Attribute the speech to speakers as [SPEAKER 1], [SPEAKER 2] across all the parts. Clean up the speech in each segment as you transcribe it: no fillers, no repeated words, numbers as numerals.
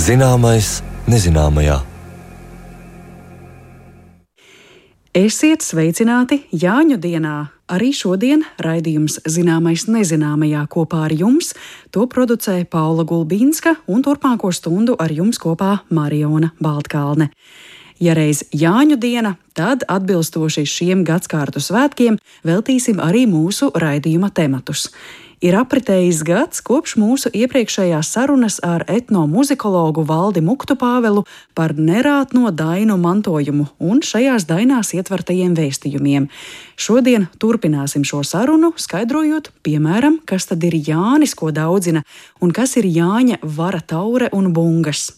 [SPEAKER 1] Zināmais nezināmajā.
[SPEAKER 2] Esiet sveicināti Jāņu dienā! Arī šodien raidījums Zināmais nezināmajā kopā ar jums. To producē Paula Gulbīnska un turpmāko stundu ar jums kopā Mariona Baltkalne. Ja reiz Jāņu diena, tad atbilstoši šiem gadskārtu svētkiem veltīsim arī mūsu raidījuma tematus. Ir apritējis gads kopš mūsu iepriekšējās sarunas ar etnomuzikologu Valdi Muktupāvelu par nerātno dainu mantojumu un šajās dainās ietvertajiem vēstījumiem. Šodien turpināsim šo sarunu, skaidrojot, piemēram, kas tad ir Jānis, ko daudzina, un kas ir Jāņa vara taure un bungas.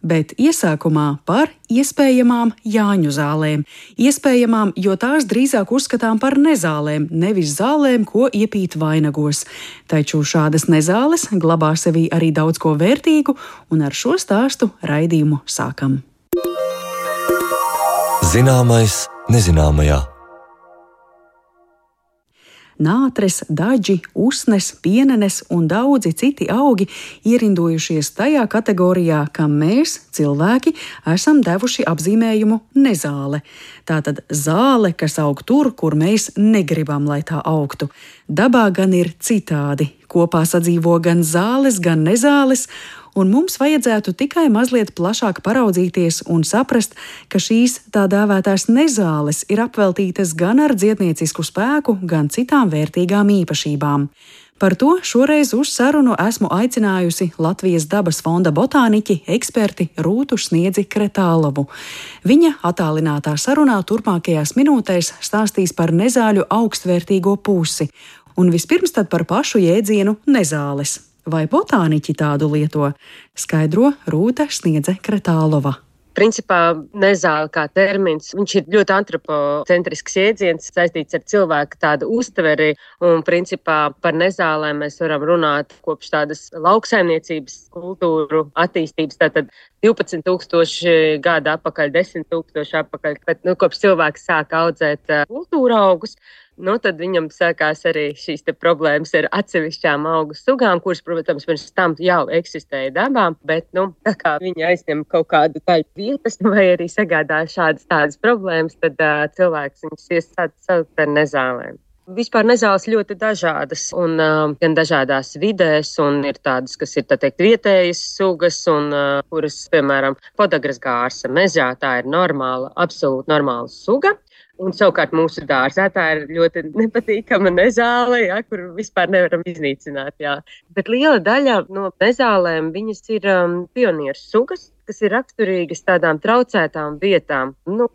[SPEAKER 2] Bet iesākumā par iespējamām Jāņu zālēm. Iespējamām, jo tās drīzāk uzskatām par nezālēm, nevis zālēm, ko iepīt vainagos. Taču šādas nezāles glabā sevī arī daudz ko vērtīgu, un ar šo stāstu raidījumu sākam.
[SPEAKER 1] Zināmais nezināmajā.
[SPEAKER 2] Nātres, daģi, usnes, pienenes un daudzi citi augi ierindojušies tajā kategorijā, kam mēs, cilvēki, esam devuši apzīmējumu nezāle. Tātad zāle, kas aug tur, kur mēs negribam, lai tā augtu. Dabā gan ir citādi. Kopā sadzīvo gan zāles, gan nezāles, un mums vajadzētu tikai mazliet plašāk paraudzīties un saprast, ka šīs tā dēvētās nezāles ir apveltītas gan ar dziedniecisku spēku, gan citām vērtīgām īpašībām. Par to šoreiz uz sarunu esmu aicinājusi Latvijas dabas fonda botāniķi, eksperti Rūtu Sniedzi Kretālovu. Viņa attālinātā sarunā turpmākajās minūtēs stāstīs par nezāļu augstvērtīgo pusi, un vispirms tad par pašu jēdzienu nezāles. Vai botāniķi tādu lieto? Skaidro Rūta Sniedze Kretālova.
[SPEAKER 3] Principā nezāle kā termins, viņš ir ļoti antropocentrisks jēdziens, saistīts ar cilvēku tādu uztveri, un principā par nezālēm mēs varam runāt kopš tādas lauksaimniecības kultūru attīstības, tātad 12,000 gadu atpakaļ, 10,000 atpakaļ, bet kopš cilvēks sāka audzēt kultūra augus, tad viņam sākās arī šīs te problēmas ar atsevišķām augu sugām, kuras, protams, pirms tam jau eksistēja dabā, bet, tā kā viņi aizņem kaut kādu daļu vietas vai arī sagādā tādas problēmas, tad cilvēks viņus iesaukt par nezālēm. Vispār nezāles ļoti dažādas, un gan dažādās vidēs, un ir tādas, kas ir, tā teikt, vietējas sugas, un kuras, piemēram, podagras gārsa mežā, tā ir normāla, absolūti normāla suga. Un savukārt mūsu dārzā tā ir ļoti nepatīkama nezāle, kur vispār nevaram iznīcināt. Jā. Bet liela daļa no nezālēm viņas ir pionieru sugas, kas ir raksturīgas tādām traucētām vietām,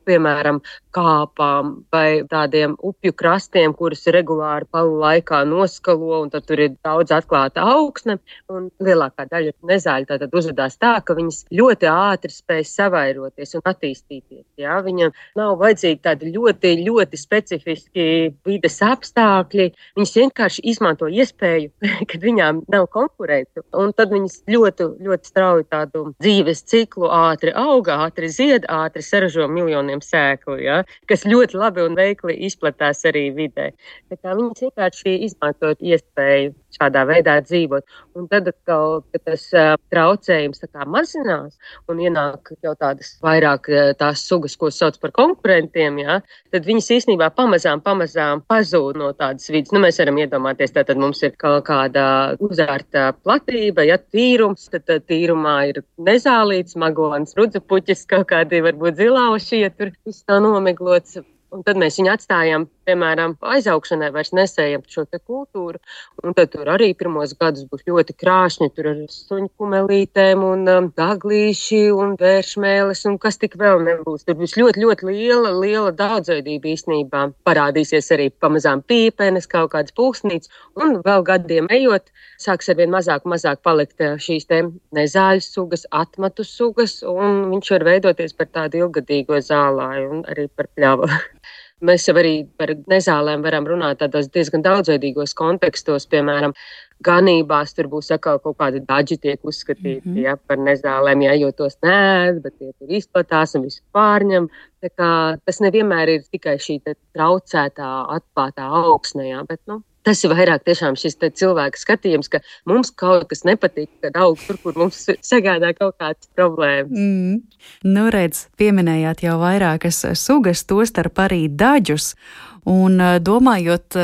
[SPEAKER 3] piemēram, kāpām vai tādiem upju krastiem, kurus regulāri palu laikā noskalo, un tad tur ir daudz atklāta augsne, un lielākā daļa nezāļu tātad uzvedās tā, ka viņas ļoti ātri spēj savairoties un attīstīties. Jā? Viņam nav vajadzīgi tādi ļoti, ļoti specifiski vides apstākļi, viņas vienkārši izmanto iespēju, kad viņām nav konkurentu, un tad viņas ļoti, ļoti strauji tādu dzīves ciklu ātri auga, ātri zied, ātri saražo miljoniem sēklu, ja? Kas ļoti labi un veikli izplatās arī vidē. Tā kā viņas vienkārši izmantot iespēju šādā veidā dzīvot. Un tad, kad tas traucējums tā kā mazinās un ienāk jau tādas vairāk tās sugas, ko sauc par konkurentiem, ja? Tad viņas īstenībā pamazām pazūd no tādas vidas. Mēs varam iedomāties, tātad mums ir kaut kāda uzārta platība, ja tīrums, tad tīrumā ir nezālīts, magons, rudzupuķis, kaut kādi varbūt zilauši, ja tur viss tā nomiglots. Un tad mēs viņu atstājam, piemēram, aizaugšanai, vairs nesējam šo te kultūru. Un tad tur arī pirmos gadus būs ļoti krāšņi, tur ar suņu kumelītēm un daglīši un vēršmēles un kas tik vēl nebūs. Tur būs ļoti, ļoti liela daudzveidība īstenībā. Parādīsies arī pamazām pīpenes, kaut kādas pulksnītes. Un vēl gadiem ejot, sāks arvien mazāk palikt šīs te nezāļu sugas, atmatu sugas, un viņš var veidoties par tādu ilgadīgo zālāju un arī par pļavu. Mēs jau arī par nezālēm varam runāt tādos diezgan daudzveidīgos kontekstos, piemēram, ganībās tur būs atkal kaut kādi daži tiek uzskatīti par nezālēm, jo tos neēd, bet tie tur izplatās un visu pārņem. Tā kā tas nevienmēr ir tikai šī traucētā, atklātā augsnē, bet Tas ir vairāk tiešām šis cilvēka skatījums, ka mums kaut kas nepatīk, kad aug tur, kur mums sagādā kaut kādas problēmas.
[SPEAKER 2] Nu, redz, pieminējāt jau vairākas sugas, tostarp arī daģus. Un domājot,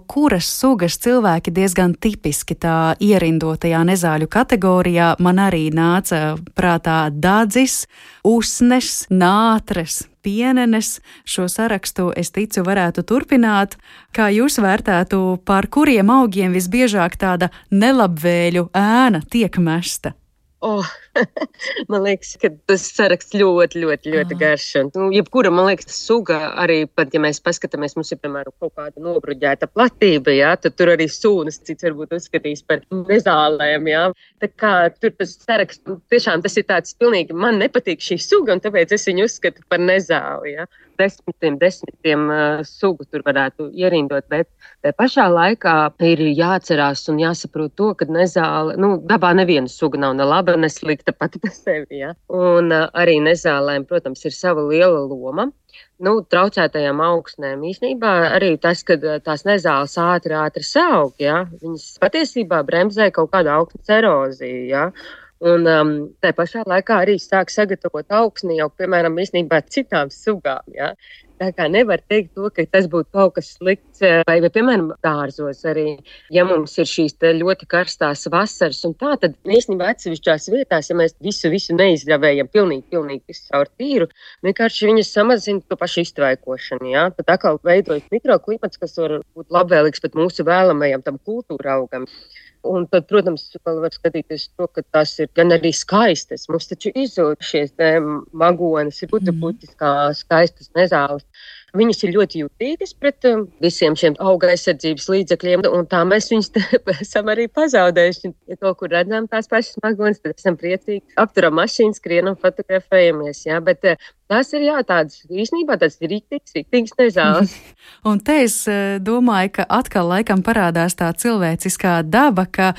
[SPEAKER 2] kuras sugas cilvēki diezgan tipiski tā ierindotajā nezāļu kategorijā, man arī nāca prātā dadzis, usnes, nātres, pienenes. Šo sarakstu, es ticu, varētu turpināt. Kā jūs vērtētu, par kuriem augiem visbiežāk tāda nelabvēļu ēna tiek mesta?
[SPEAKER 3] Man liekas, ka tas saraksts ļoti garš. Jebkura, man liekas, suga arī, pat ja mēs paskatāmies, mums ir, piemēram, kaut kāda nobruģēta platība, jā, tad tur arī sūnas, cits varbūt uzskatīs par nezālēm, jā. Tā kā tur tas saraksts, tiešām tas ir tāds pilnīgi, man nepatīk šī suga, un tāpēc es viņu uzskatu par nezāli, jā. Desmitiem sugu tur varētu ierindot, bet pašā laikā ir jāatcerās un jāsaprot to, ka nezāle, dabā neviena suga nav ne laba, ne slikta pati par sevi, ja? Un arī nezālēm, protams, ir sava liela loma. Traucētajām augsnēm īstenībā arī tas, ka tās nezāles ātri saug, ja? Viņas patiesībā bremzē kaut kādu augsnes eroziju, ja? Un tā pašā laikā arī sāk sagatavot augsni jau, piemēram, īstenībā citām sugām, ja? Tā kā nevar teikt to, ka tas būtu kaut kas slikts, vai piemēram, dārzos arī, ja mums ir šīs ļoti karstās vasaras un tā, tad īstenībā atsevišķās vietās, ja mēs visu neizļavējam pilnīgi visu caur tīru, vienkārši viņas samazina to pašu iztvaikošanu, jā. Tad atkal veidojas mikroklimats, kas var būt labvēlīgs pat mūsu vēlamajam tam kultūra augam. Un tad, protams, vēl var skatīties to, ka tās ir gan arī skaistas. Mums taču izzūd šies magonas, ir puķis kā skaistas nezāles. Viņas ir ļoti jutīgas pret visiem šiem auga aizsardzības līdzekļiem, un tā mēs viņus esam arī pazaudējuši. Ja kaut kur redzam tās pašas magonas, tad esam priecīgi. Apturam mašīnu, skrienam, fotografējamies, jā, bet tās ir, tādas īstenībā tādas rīktīgas nezāles.
[SPEAKER 2] Un te es domāju, ka atkal laikam parādās tā cilvēciskā daba, ka,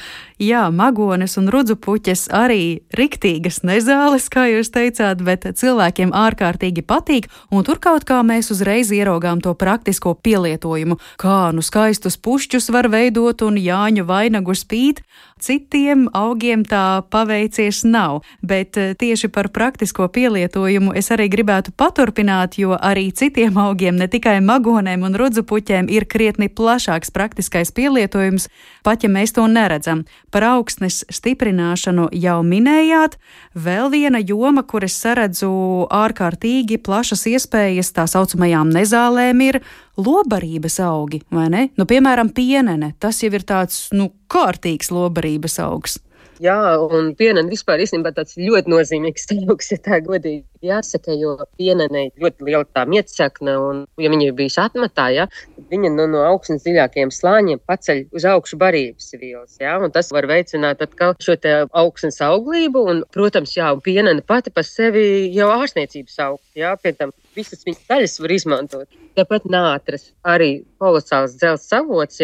[SPEAKER 2] magones un rudzupuķes arī riktīgas nezāles, kā jūs teicāt, bet cilvēkiem ārkārtīgi patīk, un tur kaut kā mēs uzreiz ieraugām to praktisko pielietojumu. Kā skaistus pušķus var veidot un Jāņu vainagu spīt, citiem augiem tā paveicies nav. Bet tieši par praktisko pielietojumu es arī gribētu paturpināt, jo arī citiem augiem, ne tikai magonēm un rudzupuķēm, ir krietni plašāks praktiskais pielietojums, pat ja mēs to neredzam. Par augsnes stiprināšanu jau minējāt. Vēl viena joma, kur es saredzu ārkārtīgi plašas iespējas tā saucamajām nezālēm, ir lobarības augi, vai ne? Piemēram, pienene. Tas jau ir tāds, kārtīgs lobarības augs.
[SPEAKER 3] Jā, un pienene vispār īstenībā tāds ļoti nozīmīgs augs, ja tā godīgi jāsaka, jo pienenei ļoti liela tā mietsakne, un ja viņa ir bijusi atmetā, tad viņa no augsnes dziļākajiem slāņiem paceļ uz augšu barības vielas, un tas var veicināt atkal šo te augsnes auglību, un, protams, un pienene pati par sevi jau ārstniecības augs, pie tam visas viņas daļas var izmantot. Tāpat nātras arī kolosāls dzelzs avots,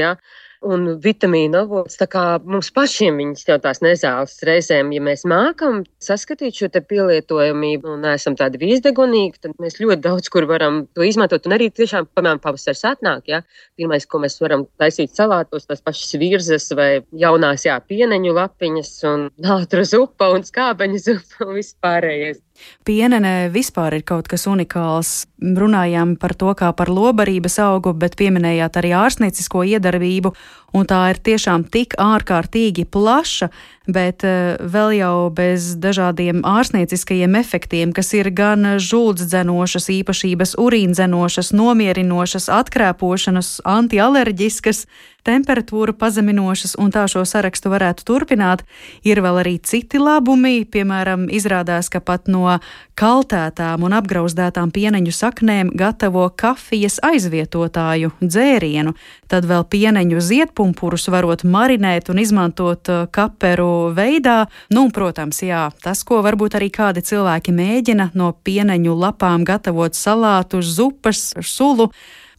[SPEAKER 3] un vitamīnu avots, tā kā mums pašiem viņas jau tās nezāles reizēm, ja mēs mākam saskatīt šo te pielietojamību un esam tādi vīzdegunīgi, tad mēs ļoti daudz kur varam to izmantot, un arī tiešām, piemēram, pavasars atnāk, pirmais, ko mēs varam taisīt salātos, tās pašas virzes vai jaunās, pieneņu lapiņas un nātru zupa un skābeņu zupa un vispārējais.
[SPEAKER 2] Pienene vispār ir kaut kas unikāls. Runājām par to kā par lobarības augu, bet pieminējāt arī ārstniecisko iedarbību, un tā ir tiešām tik ārkārtīgi plaša, bet vēl jau bez dažādiem ārstnieciskajiem efektiem, kas ir gan žultsdzenošas īpašības, urīndzenošas, nomierinošas, atkrēpošanas, antialerģiskas, temperatūru pazeminošas, un tā šo sarakstu varētu turpināt. Ir vēl arī citi labumi, piemēram, izrādās, ka pat no kaltētām un apgrauzdētām pieneņu saknēm gatavo kafijas aizvietotāju dzērienu. Tad vēl pieneņu ziedpumpurus varot marinēt un izmantot kaperu veidā. Protams, tas, ko varbūt arī kādi cilvēki mēģina no pieneņu lapām gatavot salātus, zupas, sulu.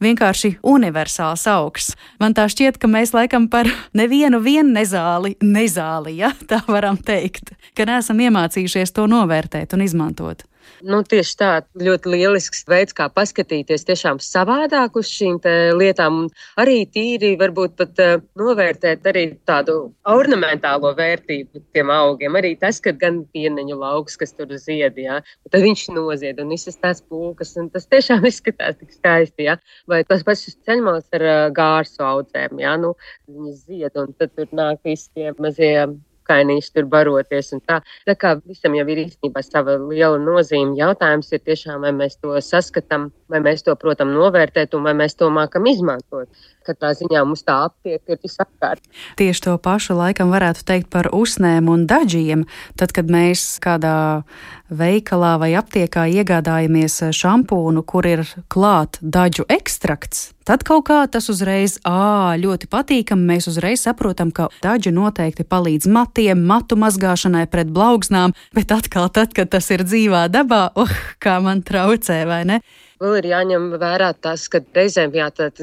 [SPEAKER 2] Vienkārši universāls augs. Man tā šķiet, ka mēs laikam par nevienu nezāli, tā varam teikt, ka neesam iemācījušies to novērtēt un izmantot.
[SPEAKER 3] Tieši tā, ļoti lielisks veids, kā paskatīties tiešām savādāk uz šīm lietām. Arī tīri varbūt pat novērtēt arī tādu ornamentālo vērtību tiem augiem. Arī tas, ka gan pieneņu lauks, kas tur zied, jā, tad viņš nozied un visas tās pulkas. Un tas tiešām izskatās tik skaisti, jā. Vai tas pašas ceļmals ar gārsu audzēm, jā, viņas zied un tad tur nāk visi tie mazie kainīši tur baroties un tā. Tā kā visam jau ir īstenībā sava liela nozīme. Jautājums ir tiešām, vai mēs to saskatām, vai mēs to, protams, novērtēt un vai mēs to mākam izmantot. Katrā ziņā mums tā aptiek ir visapkārt.
[SPEAKER 2] Tieši to pašu laikam varētu teikt par usnēm un daģiem. Tad, kad mēs kādā veikalā vai aptiekā iegādājamies šampūnu, kur ir klāt daģu ekstrakts, tad kaut kā tas uzreiz ļoti patīkami. Mēs uzreiz saprotam, ka daģi noteikti palīdz matiem, matu mazgāšanai pret blaugsnām, bet atkal tad, kad tas ir dzīvā dabā, kā man traucē, vai ne?
[SPEAKER 3] Vēl ir jāņem vērā tas, ka reizēm,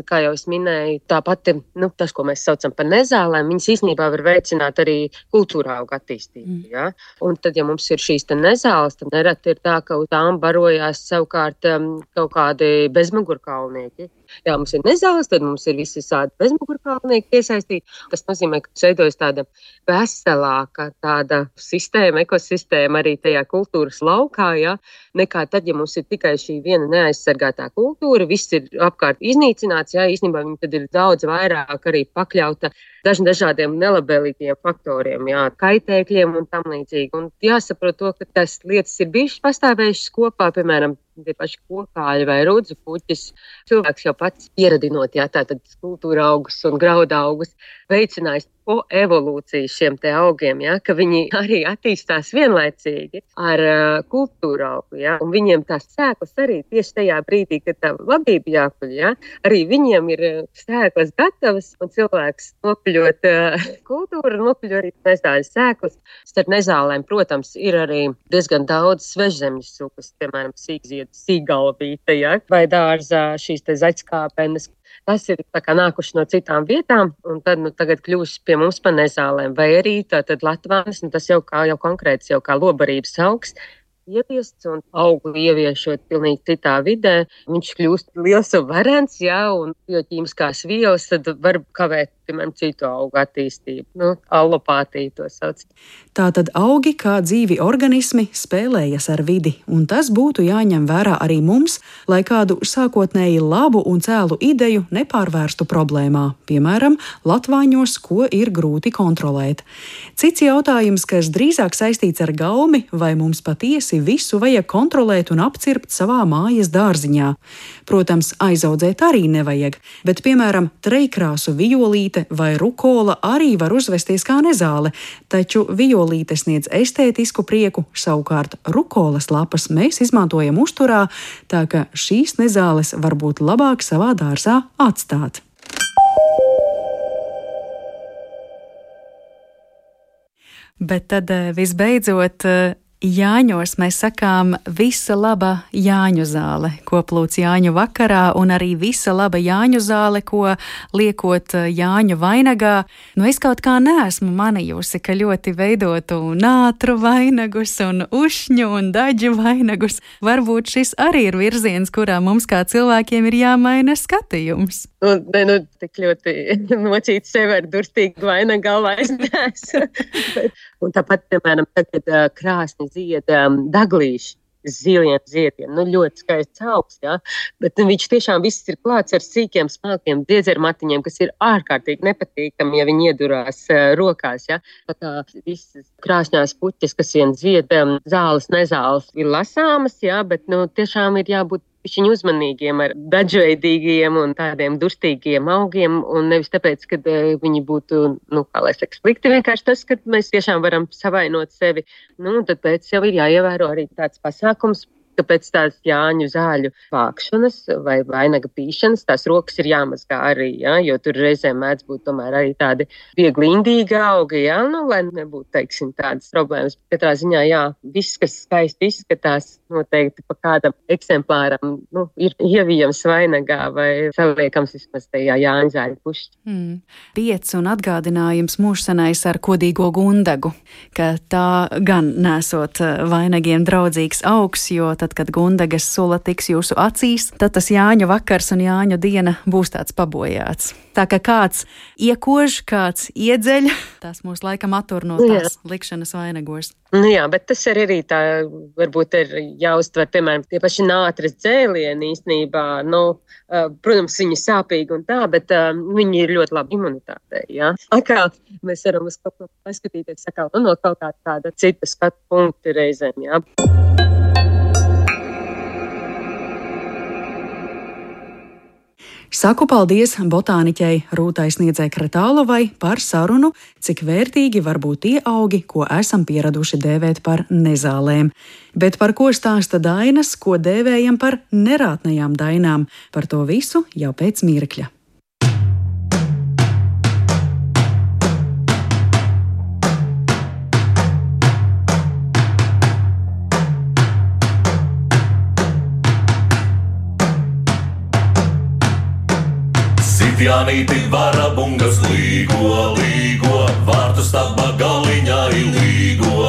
[SPEAKER 3] kā jau es minēju, tā pati, tas, ko mēs saucam par nezālēm, viņas īstenībā var veicināt arī kultūra augu attīstību. Ja? Un tad, ja mums ir šīs nezāles, tad nereti ir tā, ka uz tām barojās savukārt kaut kādi bezmugurkaulnieki. Jā, mums ir nezāles, tad mums ir visi tādi bezmugurkaulnieki iesaistīti. Tas nozīmē, ka veidojas tāda veselāka tāda sistēma, ekosistēma arī tajā kultūras laukā, ja? Nekā tad, ja mums ir tikai šī viena neaizsargātā kultūra, viss ir apkārt iznīcināts, jā, īstenībā viņi tad ir daudz vairāk arī pakļauta dažādiem nelabvēlīgiem faktoriem, jā, kaitēkļiem un tam līdzīgi. Un jāsaprot to, ka tas lietas ir bijušas pastāvējušas kopā, piemēram, tie paši kokāļi vai rudzu puķis. Cilvēks jau pats pieradinot, jā, tātad kultūra augus un grauda augus veicinājis po evolūciju šiem te augiem, jā, ka viņi arī attīstās vienlaicīgi ar kultūra augu, jā, un viņiem tās sēklas arī tieši tajā brīdī, kad tā labība jākuļ, jā, arī viņiem ir sēklas gatavas, un cilvēks nopļot kultūru, nopļo arī nezāļas sēklas. Starp nezālēm, protams, ir arī diezgan daudz svežzemes sugas, piemēram, sīkziedu sīgalvīte, ja? Vai dārzā šīs te zaķskāpenes. Tas ir tā kā nākuši no citām vietām, un tad tagad kļūst pie mums pa nezālēm. Vai arī tātad latvānis, tas jau konkrēts, jau kā lobarības augs, ieviests un augu ieviešot pilnīgi citā vidē. Viņš kļūst liels un varens, jā, un bioķīmiskās vielas tad var kavēt, piemēram, citu augu attīstību. Allopātija to sauc.
[SPEAKER 2] Tātad augi kā dzīvi organismi spēlējas ar vidi, un tas būtu jāņem vērā arī mums, lai kādu sākotnēji labu un cēlu ideju nepārvērstu problēmā, piemēram, latvāņos, ko ir grūti kontrolēt. Cits jautājums, kas drīzāk saistīts ar gaumi, vai mums patiesi visu vajag kontrolēt un apcirpt savā mājas dārziņā. Protams, aizaudzēt arī nevajag, bet, piemēram, trejkrāsu violīte vai rukola arī var uzvesties kā nezāle, taču violīte sniedz estētisku prieku, savukārt rukolas lapas mēs izmantojam uzturā, tā ka šīs nezāles var būt labāk savā dārzā atstāt. Bet tad visbeidzot, Jāņos mēs sakām visa laba Jāņu zāle, ko plūc Jāņu vakarā, un arī visa laba Jāņu zāle, ko liekot Jāņu vainagā. Es kaut kā neesmu manījusi, ka ļoti veidotu nātru vainagus un ušņu un daģu vainagus. Varbūt šis arī ir virziens, kurā mums kā cilvēkiem ir jāmaina skatījums.
[SPEAKER 3] Tik ļoti nocīt sevi ar durstīgu vainagu galvā es neesmu. Un tāpat, piemēram, tagad krāsni zied daglīši, ziliem ziediem. Ļoti skaists augs, jā. Bet viņš tiešām viss ir klāts ar sīkiem, smalkiem diedzermatiņiem, kas ir ārkārtīgi nepatīkami, ja viņi iedurās rokās, jā. Pat visas krāsņās puķes, kas vien zied, zāles, nezāles ir lasāmas, jā, bet tiešām ir jābūt pišķiņ uzmanīgiem ar dažveidīgiem un tādiem durstīgiem augiem, un nevis tāpēc, ka viņi būtu, slikti, vienkārši tas, ka mēs tiešām varam savainot sevi, tad pēc jau ir jāievēro arī tāds pasākums, ka pēc tās Jāņu zāļu vākšanas vai vainaga pīšanas tās rokas ir jāmazgā arī, ja, jo tur reizēm mēdz būt tomēr arī tādi viegli indīgi augi, ja, lai nebūtu, teiksim, tādas problēmas. Katrā ziņā, jā, viss, kas skaisti izskatās, noteikti pa kādam eksemplāram, ir ievijams vainagā vai saliekams vismaz tajā Jāņu zāļu pušķi.
[SPEAKER 2] Piec un atgādinājums mūžsanais ar kodīgo gundagu, ka tā gan nesot vainagiem draudzīgs augs, jo tad, kad gundagas sula tiks jūsu acīs, tad tas Jāņu vakars un Jāņu diena būs tāds pabojāts. Tā kā kāds iekož, kāds iedzeļ, tas mūs laikam attur no tās likšanas vainagos.
[SPEAKER 3] Jā, bet tas arī tā, varbūt ir jāuztver, piemēram, tie paši nātris dzēlieni īstenībā, protams, viņi sāpīgi un tā, bet viņi ir ļoti labi imunitātei, jā. Atkal mēs varam uz kaut ko paskatīties, no kaut kāda cita skatu punkta reizēm, jā.
[SPEAKER 2] Saku paldies botāniķei Rūtai Sniedzei Kretālovai par sarunu, cik vērtīgi var būt tie augi, ko esam pieraduši dēvēt par nezālēm. Bet par ko stāsta dainas, ko dēvējam par nerātnajām dainām, par to visu jau pēc mirkļa.
[SPEAKER 4] Jānīti varabungas līgo, vārtu staba galiņā līgo,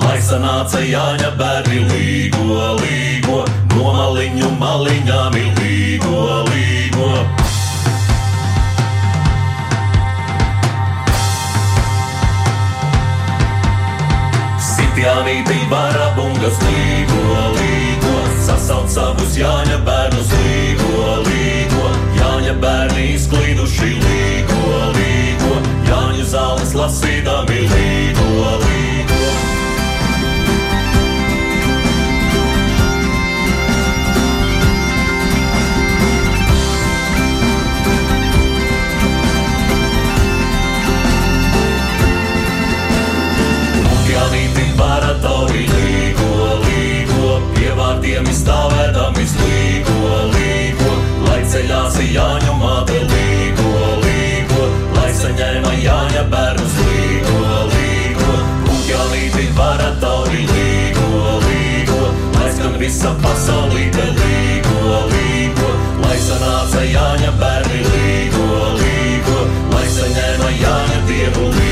[SPEAKER 4] lai sanāca Jāņa bērni līgo, no maliņu maliņām līgo. Jānīti varabungas līgo, sasauc savus Jāņa bērnus līgo, Jāņa bērni izklīduši līgo, Jāņu zāles lasīdami līgo. Paratori līgo, pie vārdiem izstāvēdami līgo, lai ceļās Jāņu māte līgo, lai saņēma Jāņa bērnus līgo, Jānīti paratori līgo, lai skan visa pasaulīte līgo, lai sanāca Jāņa bērni līgo, lai saņēma Jāņa dievu līgo.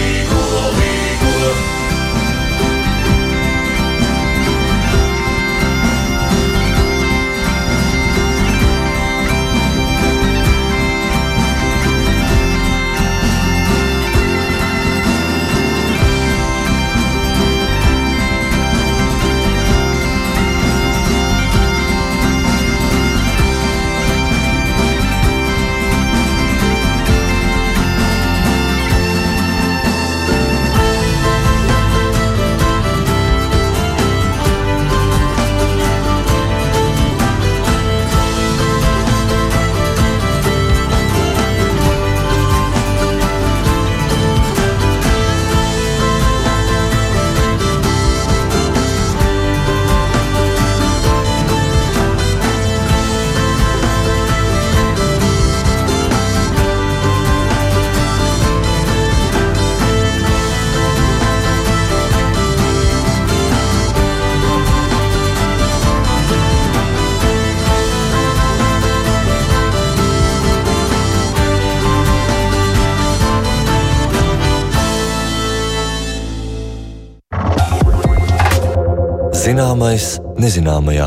[SPEAKER 1] Zināmais nezināmajā.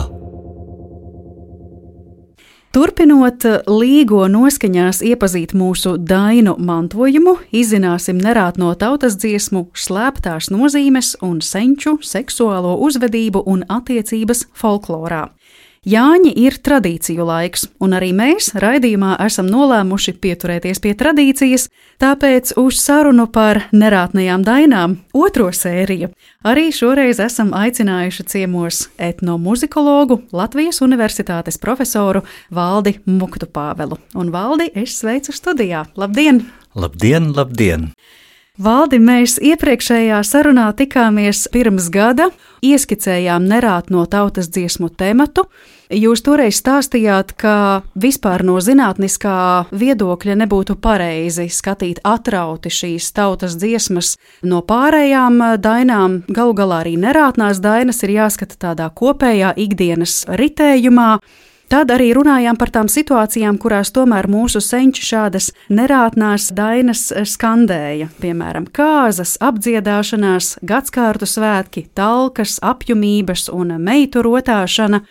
[SPEAKER 2] Turpinot līgo noskaņās iepazīt mūsu dainu mantojumu, izzināsim nerātno tautas dziesmu slēptās nozīmes un senču seksuālo uzvedību un attiecības folklorā. Jāņi ir tradīciju laiks, un arī mēs raidījumā esam nolēmuši pieturēties pie tradīcijas, tāpēc uz sarunu par nerātnajām dainām, otro sēriju, arī šoreiz esam aicinājuši ciemos etnomuzikologu, Latvijas Universitātes profesoru Valdi Muktupāvelu. Un Valdi, es sveicu studijā. Labdien!
[SPEAKER 5] Labdien, labdien!
[SPEAKER 2] Valdi, mēs iepriekšējā sarunā tikāmies pirms gada, ieskicējām nerātno tautas dziesmu tematu. Jūs toreiz stāstījāt, ka vispār no zinātniskā viedokļa nebūtu pareizi skatīt atrauti šīs tautas dziesmas no pārējām dainām. Galu galā arī nerātnās dainas ir jāskata tādā kopējā ikdienas ritējumā. Tad arī runājām par tām situācijām, kurās tomēr mūsu senči šādas nerātnās dainas skandēja. Piemēram, kāzas, apdziedāšanās, gadskārtu svētki, talkas, apjumības un meitu rotāšana.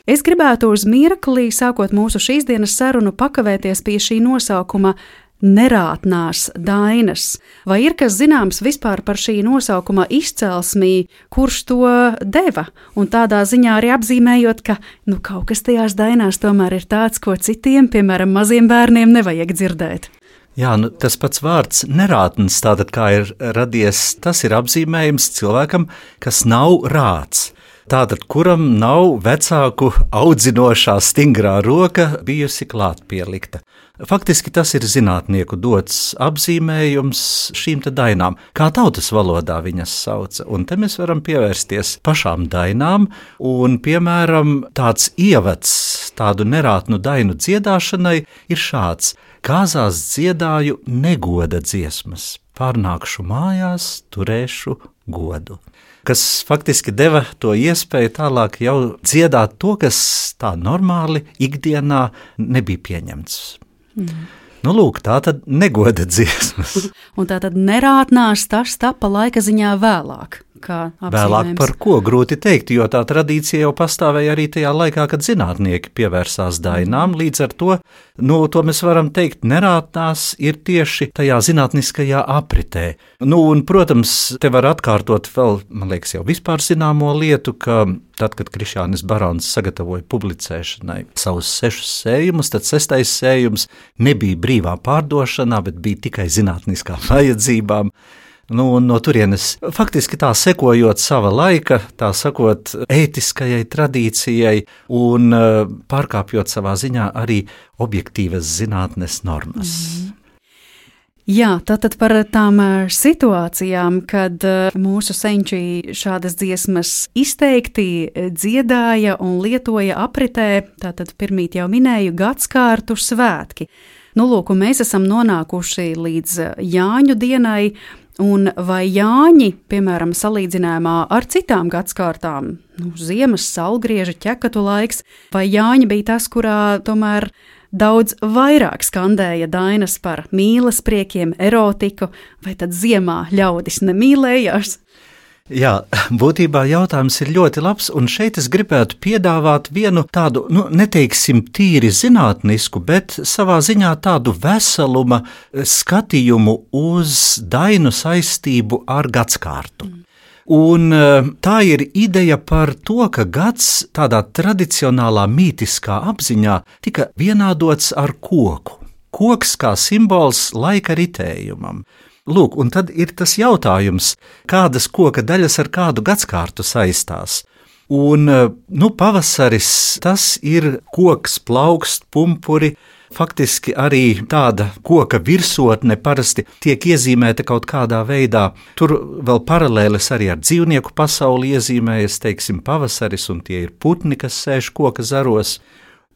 [SPEAKER 2] Es gribētu uz mirkli, sākot mūsu šīs dienas sarunu, pakavēties pie šī nosaukuma nerātnās dainas. Vai ir kas zināms vispār par šī nosaukuma izcelsmī, kurš to deva? Un tādā ziņā arī apzīmējot, ka kaut kas tajās dainās tomēr ir tāds, ko citiem, piemēram, maziem bērniem nevajag dzirdēt.
[SPEAKER 5] Jā, tas pats vārds nerātns, tātad kā ir radies, tas ir apzīmējums cilvēkam, kas nav rāts. Tātad, kuram nav vecāku audzinošā stingrā roka bijusi klāt pielikta. Faktiski tas ir zinātnieku dots apzīmējums šīm te dainām, kā tautas valodā viņas sauca. Un te mēs varam pievērsties pašām dainām, un, piemēram, tāds ievads tādu nerātnu dainu dziedāšanai ir šāds. Kāzās dziedāju negoda dziesmas, pārnākšu mājās, turēšu godu. Kas faktiski deva to iespēju tālāk jau dziedāt to, kas tā normāli ikdienā nebija pieņemts. Lūk, tā tad negoda dziesmas.
[SPEAKER 2] Un tā tad nerātnās tas tapa laika ziņā vēlāk.
[SPEAKER 5] Vēlāk par ko grūti teikt, jo tā tradīcija jau pastāvēja arī tajā laikā, kad zinātnieki pievērsās dainām. Līdz ar to, to mēs varam teikt, nerātnās ir tieši tajā zinātniskajā apritē. Un, protams, te var atkārtot vēl, man liekas, jau vispār zināmo lietu, ka tad, kad Krišjānis Barons sagatavoja publicēšanai savus 6 sējumus, tad 6. sējums nebija brīvā pārdošanā, bet bija tikai zinātniskām vajadzībām. No turienes faktiski tā sekojot sava laika, tā sakot, ētiskajai tradīcijai un pārkāpjot savā ziņā arī objektīvas zinātnes normas.
[SPEAKER 2] Jā, tātad par tām situācijām, kad mūsu senči šādas dziesmas izteikti dziedāja un lietoja apritē, tātad pirmīt jau minēju gadskārtu svētki. Lūk, mēs esam nonākuši līdz Jāņu dienai, un vai Jāņi, piemēram, salīdzinājumā ar citām gadskārtām, ziemas, saulgrieža, ķekatu laiks, vai Jāņi bija tas, kurā tomēr daudz vairāk skandēja dainas par mīles priekiem, erotiku, vai tad ziemā ļaudis nemīlējās?
[SPEAKER 5] Jā, būtībā jautājums ir ļoti labs, un šeit es gribētu piedāvāt vienu tādu, neteiksim tīri zinātnisku, bet savā ziņā tādu veseluma skatījumu uz dainu saistību ar gadskārtu. Un tā ir ideja par to, ka gads tādā tradicionālā mītiskā apziņā tika vienādots ar koku. Koks kā simbols laika ritējumam. Lūk, un tad ir tas jautājums, kādas koka daļas ar kādu gadskārtu saistās. Un, pavasaris, tas ir koks, plaukst, pumpuri, faktiski arī tāda koka virsotne parasti tiek iezīmēta kaut kādā veidā. Tur vēl paralēles arī ar dzīvnieku pasauli iezīmējas, teiksim, pavasaris, un tie ir putni, kas sēž koka zaros.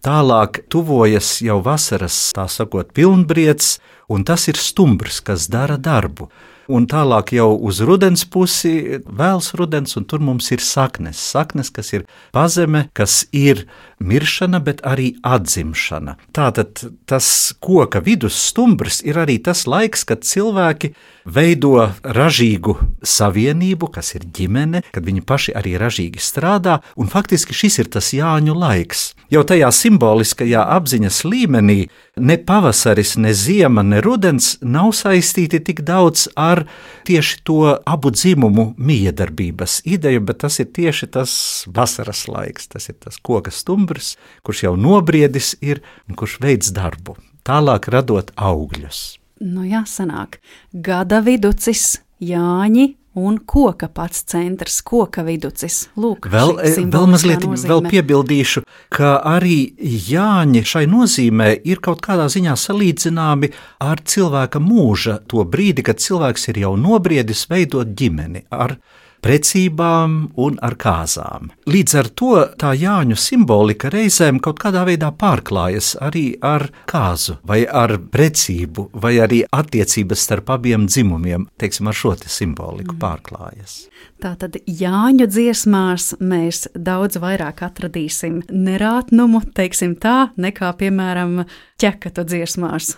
[SPEAKER 5] Tālāk tuvojas jau vasaras, tā sakot, pilnbriedz, un tas ir stumbrs, kas dara darbu. Un tālāk jau uz rudens pusi, vēls rudens, un tur mums ir saknes. Saknes, kas ir pazeme, kas ir miršana, bet arī atzimšana. Tātad tas koka vidus stumbrs ir arī tas laiks, kad cilvēki veido ražīgu savienību, kas ir ģimene, kad viņi paši arī ražīgi strādā, un faktiski šis ir tas Jāņu laiks. Jau tajā simboliskajā apziņas līmenī ne pavasaris, ne ziema, ne rudens nav saistīti tik daudz ar tieši to abu dzimumu miedarbības ideju, bet tas ir tieši tas vasaras laiks, tas ir tas koka stumbrs, kurš jau nobriedis ir un kurš veids darbu, tālāk radot augļus.
[SPEAKER 2] Jāsanāk, gada viducis, Jāņi, un koka pats centrs, koka viducis. Lūk,
[SPEAKER 5] vēl mazliet vēl piebildīšu, ka arī Jāņi šai nozīmē ir kaut kādā ziņā salīdzināmi ar cilvēka mūža to brīdi, kad cilvēks ir jau nobriedis veidot ģimeni ar precībām un ar kāzām. Līdz ar to tā Jāņu simbolika reizēm kaut kādā veidā pārklājas arī ar kāzu, vai ar precību, vai arī attiecības starp abiem dzimumiem, teiksim, ar šo te simboliku pārklājas.
[SPEAKER 2] Tātad Jāņu dziesmās mēs daudz vairāk atradīsim nerātnumu, teiksim tā, nekā, piemēram, ķekatu dziesmās.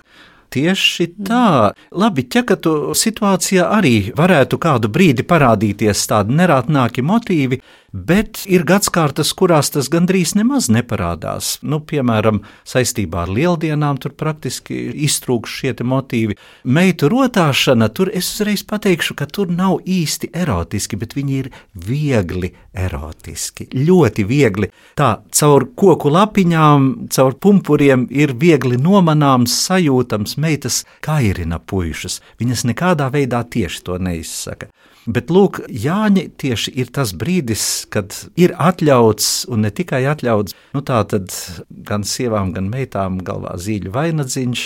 [SPEAKER 5] Tieši tā. Labi, ķekatu situācijā arī varētu kādu brīdi parādīties tādi nerātnāki motīvi, bet ir gadskārtas, kurās tas gandrīz nemaz neparādās. Piemēram, saistībā ar lieldienām tur praktiski iztrūkst šie te motīvi. Meitu rotāšana, tur es uzreiz pateikšu, ka tur nav īsti erotiski, bet viņi ir viegli erotiski, ļoti viegli. Tā, caur koku lapiņām, caur pumpuriem ir viegli nomanāms, sajūtams, meitas kairina puišus. Viņas nekādā veidā tieši to neizsaka. Bet, lūk, Jāņi tieši ir tas brīdis, kad ir atļauts, un ne tikai atļauts, tā tad gan sievām, gan meitām galvā zīļu vainadziņš,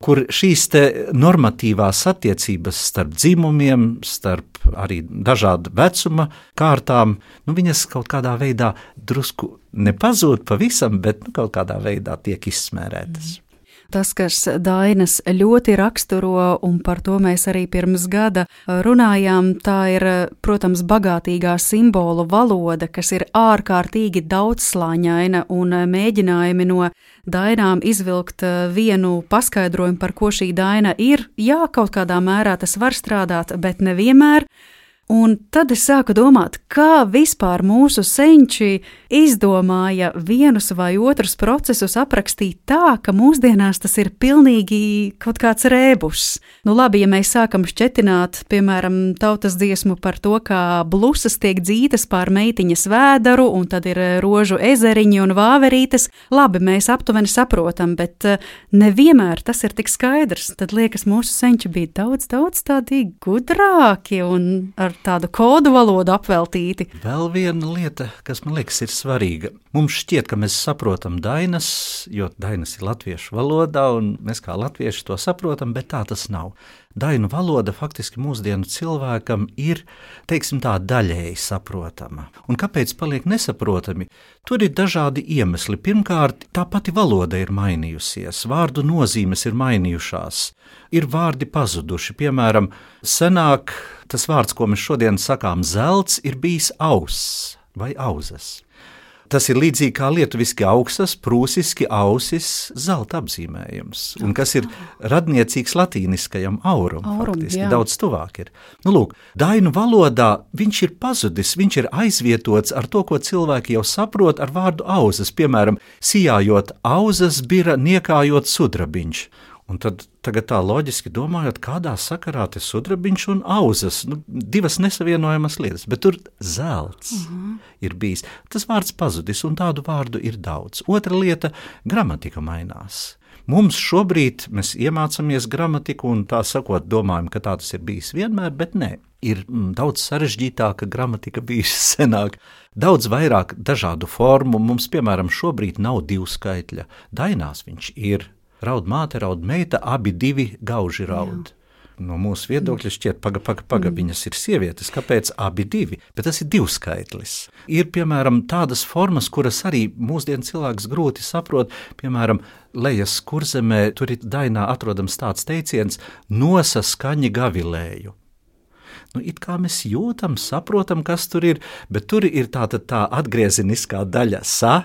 [SPEAKER 5] kur šīs te normatīvās attiecības starp dzimumiem, starp arī dažādu vecuma kārtām, viņas kaut kādā veidā drusku nepazūd pavisam, bet kaut kādā veidā tiek izsmērētas.
[SPEAKER 2] Tas, kas dainas ļoti raksturo, un par to mēs arī pirms gada runājām, tā ir, protams, bagātīgā simbolu valoda, kas ir ārkārtīgi daudzslāņaina, un mēģinājumi no dainām izvilkt vienu paskaidrojumu, par ko šī daina ir. Jā, kaut kādā mērā tas var strādāt, bet nevienmēr. Un tad es sāku domāt, kā vispār mūsu senči izdomāja vienus vai otrus procesus aprakstīt tā, ka mūsdienās tas ir pilnīgi kaut kāds rēbus. Labi, ja mēs sākam šķetināt, piemēram, tautas dziesmu par to, kā blusas tiek dzītas pār meitiņas vēdaru, un tad ir rožu ezeriņi un vāverītes, labi, mēs aptuveni saprotam, bet nevienmēr tas ir tik skaidrs. Tad liekas, mūsu senči bija daudz tādi gudrāki un ar tādu kodu valodu apveltīti.
[SPEAKER 5] Vēl viena lieta, kas man liekas ir svarīga. Mums šķiet, ka mēs saprotam dainas, jo dainas ir latviešu valodā, un mēs kā latvieši to saprotam, bet tā tas nav. Dainu valoda faktiski mūsdienu cilvēkam ir, teiksim tā, daļēji saprotama. Un kāpēc paliek nesaprotami? Tur ir dažādi iemesli. Pirmkārt, tā pati valoda ir mainījusies, vārdu nozīmes ir mainījušās, ir vārdi pazuduši. Piemēram, senāk tas vārds, ko mēs šodien sakām zelts, ir bijis auss vai auzas. Tas ir līdzīgi kā lietuviski auksas, prūsiski ausis, zelta apzīmējums, un kas ir radniecīgs latīniskajam aurum faktiski, jā. Daudz tuvāk ir. Lūk, dainu valodā viņš ir pazudis, viņš ir aizvietots ar to, ko cilvēki jau saprot ar vārdu auzas, piemēram, sijājot auzas bira, niekājot sudrabiņš. Un tad tagad tā loģiski domājot, kādā sakarā te sudrabiņš un auzas, divas nesavienojamas lietas, bet tur zelts ir bijis. Tas vārds pazudis, un tādu vārdu ir daudz. Otra lieta – gramatika mainās. Mums šobrīd mēs iemācāmies gramatiku un tā sakot domājam, ka tā tas ir bijis vienmēr, bet nē. Ir daudz sarežģītāka gramatika bijusi senāk, daudz vairāk dažādu formu. Mums, piemēram, šobrīd nav divskaitļa. Dainās viņš ir. Raud māte, raud meita, abi divi gauži raud. No mūsu viedokļa šķiet, paga, viņas ir sievietes, kāpēc abi divi? Bet tas ir divskaitlis. Ir, piemēram, tādas formas, kuras arī mūsdienu cilvēks grūti saprot, piemēram, Lejas Kurzemē, tur ir dainā atrodams tāds teiciens, nosa skaņi gavilēju. It kā mēs jūtam, saprotam, kas tur ir, bet tur ir tā atgriezeniskā daļa sa.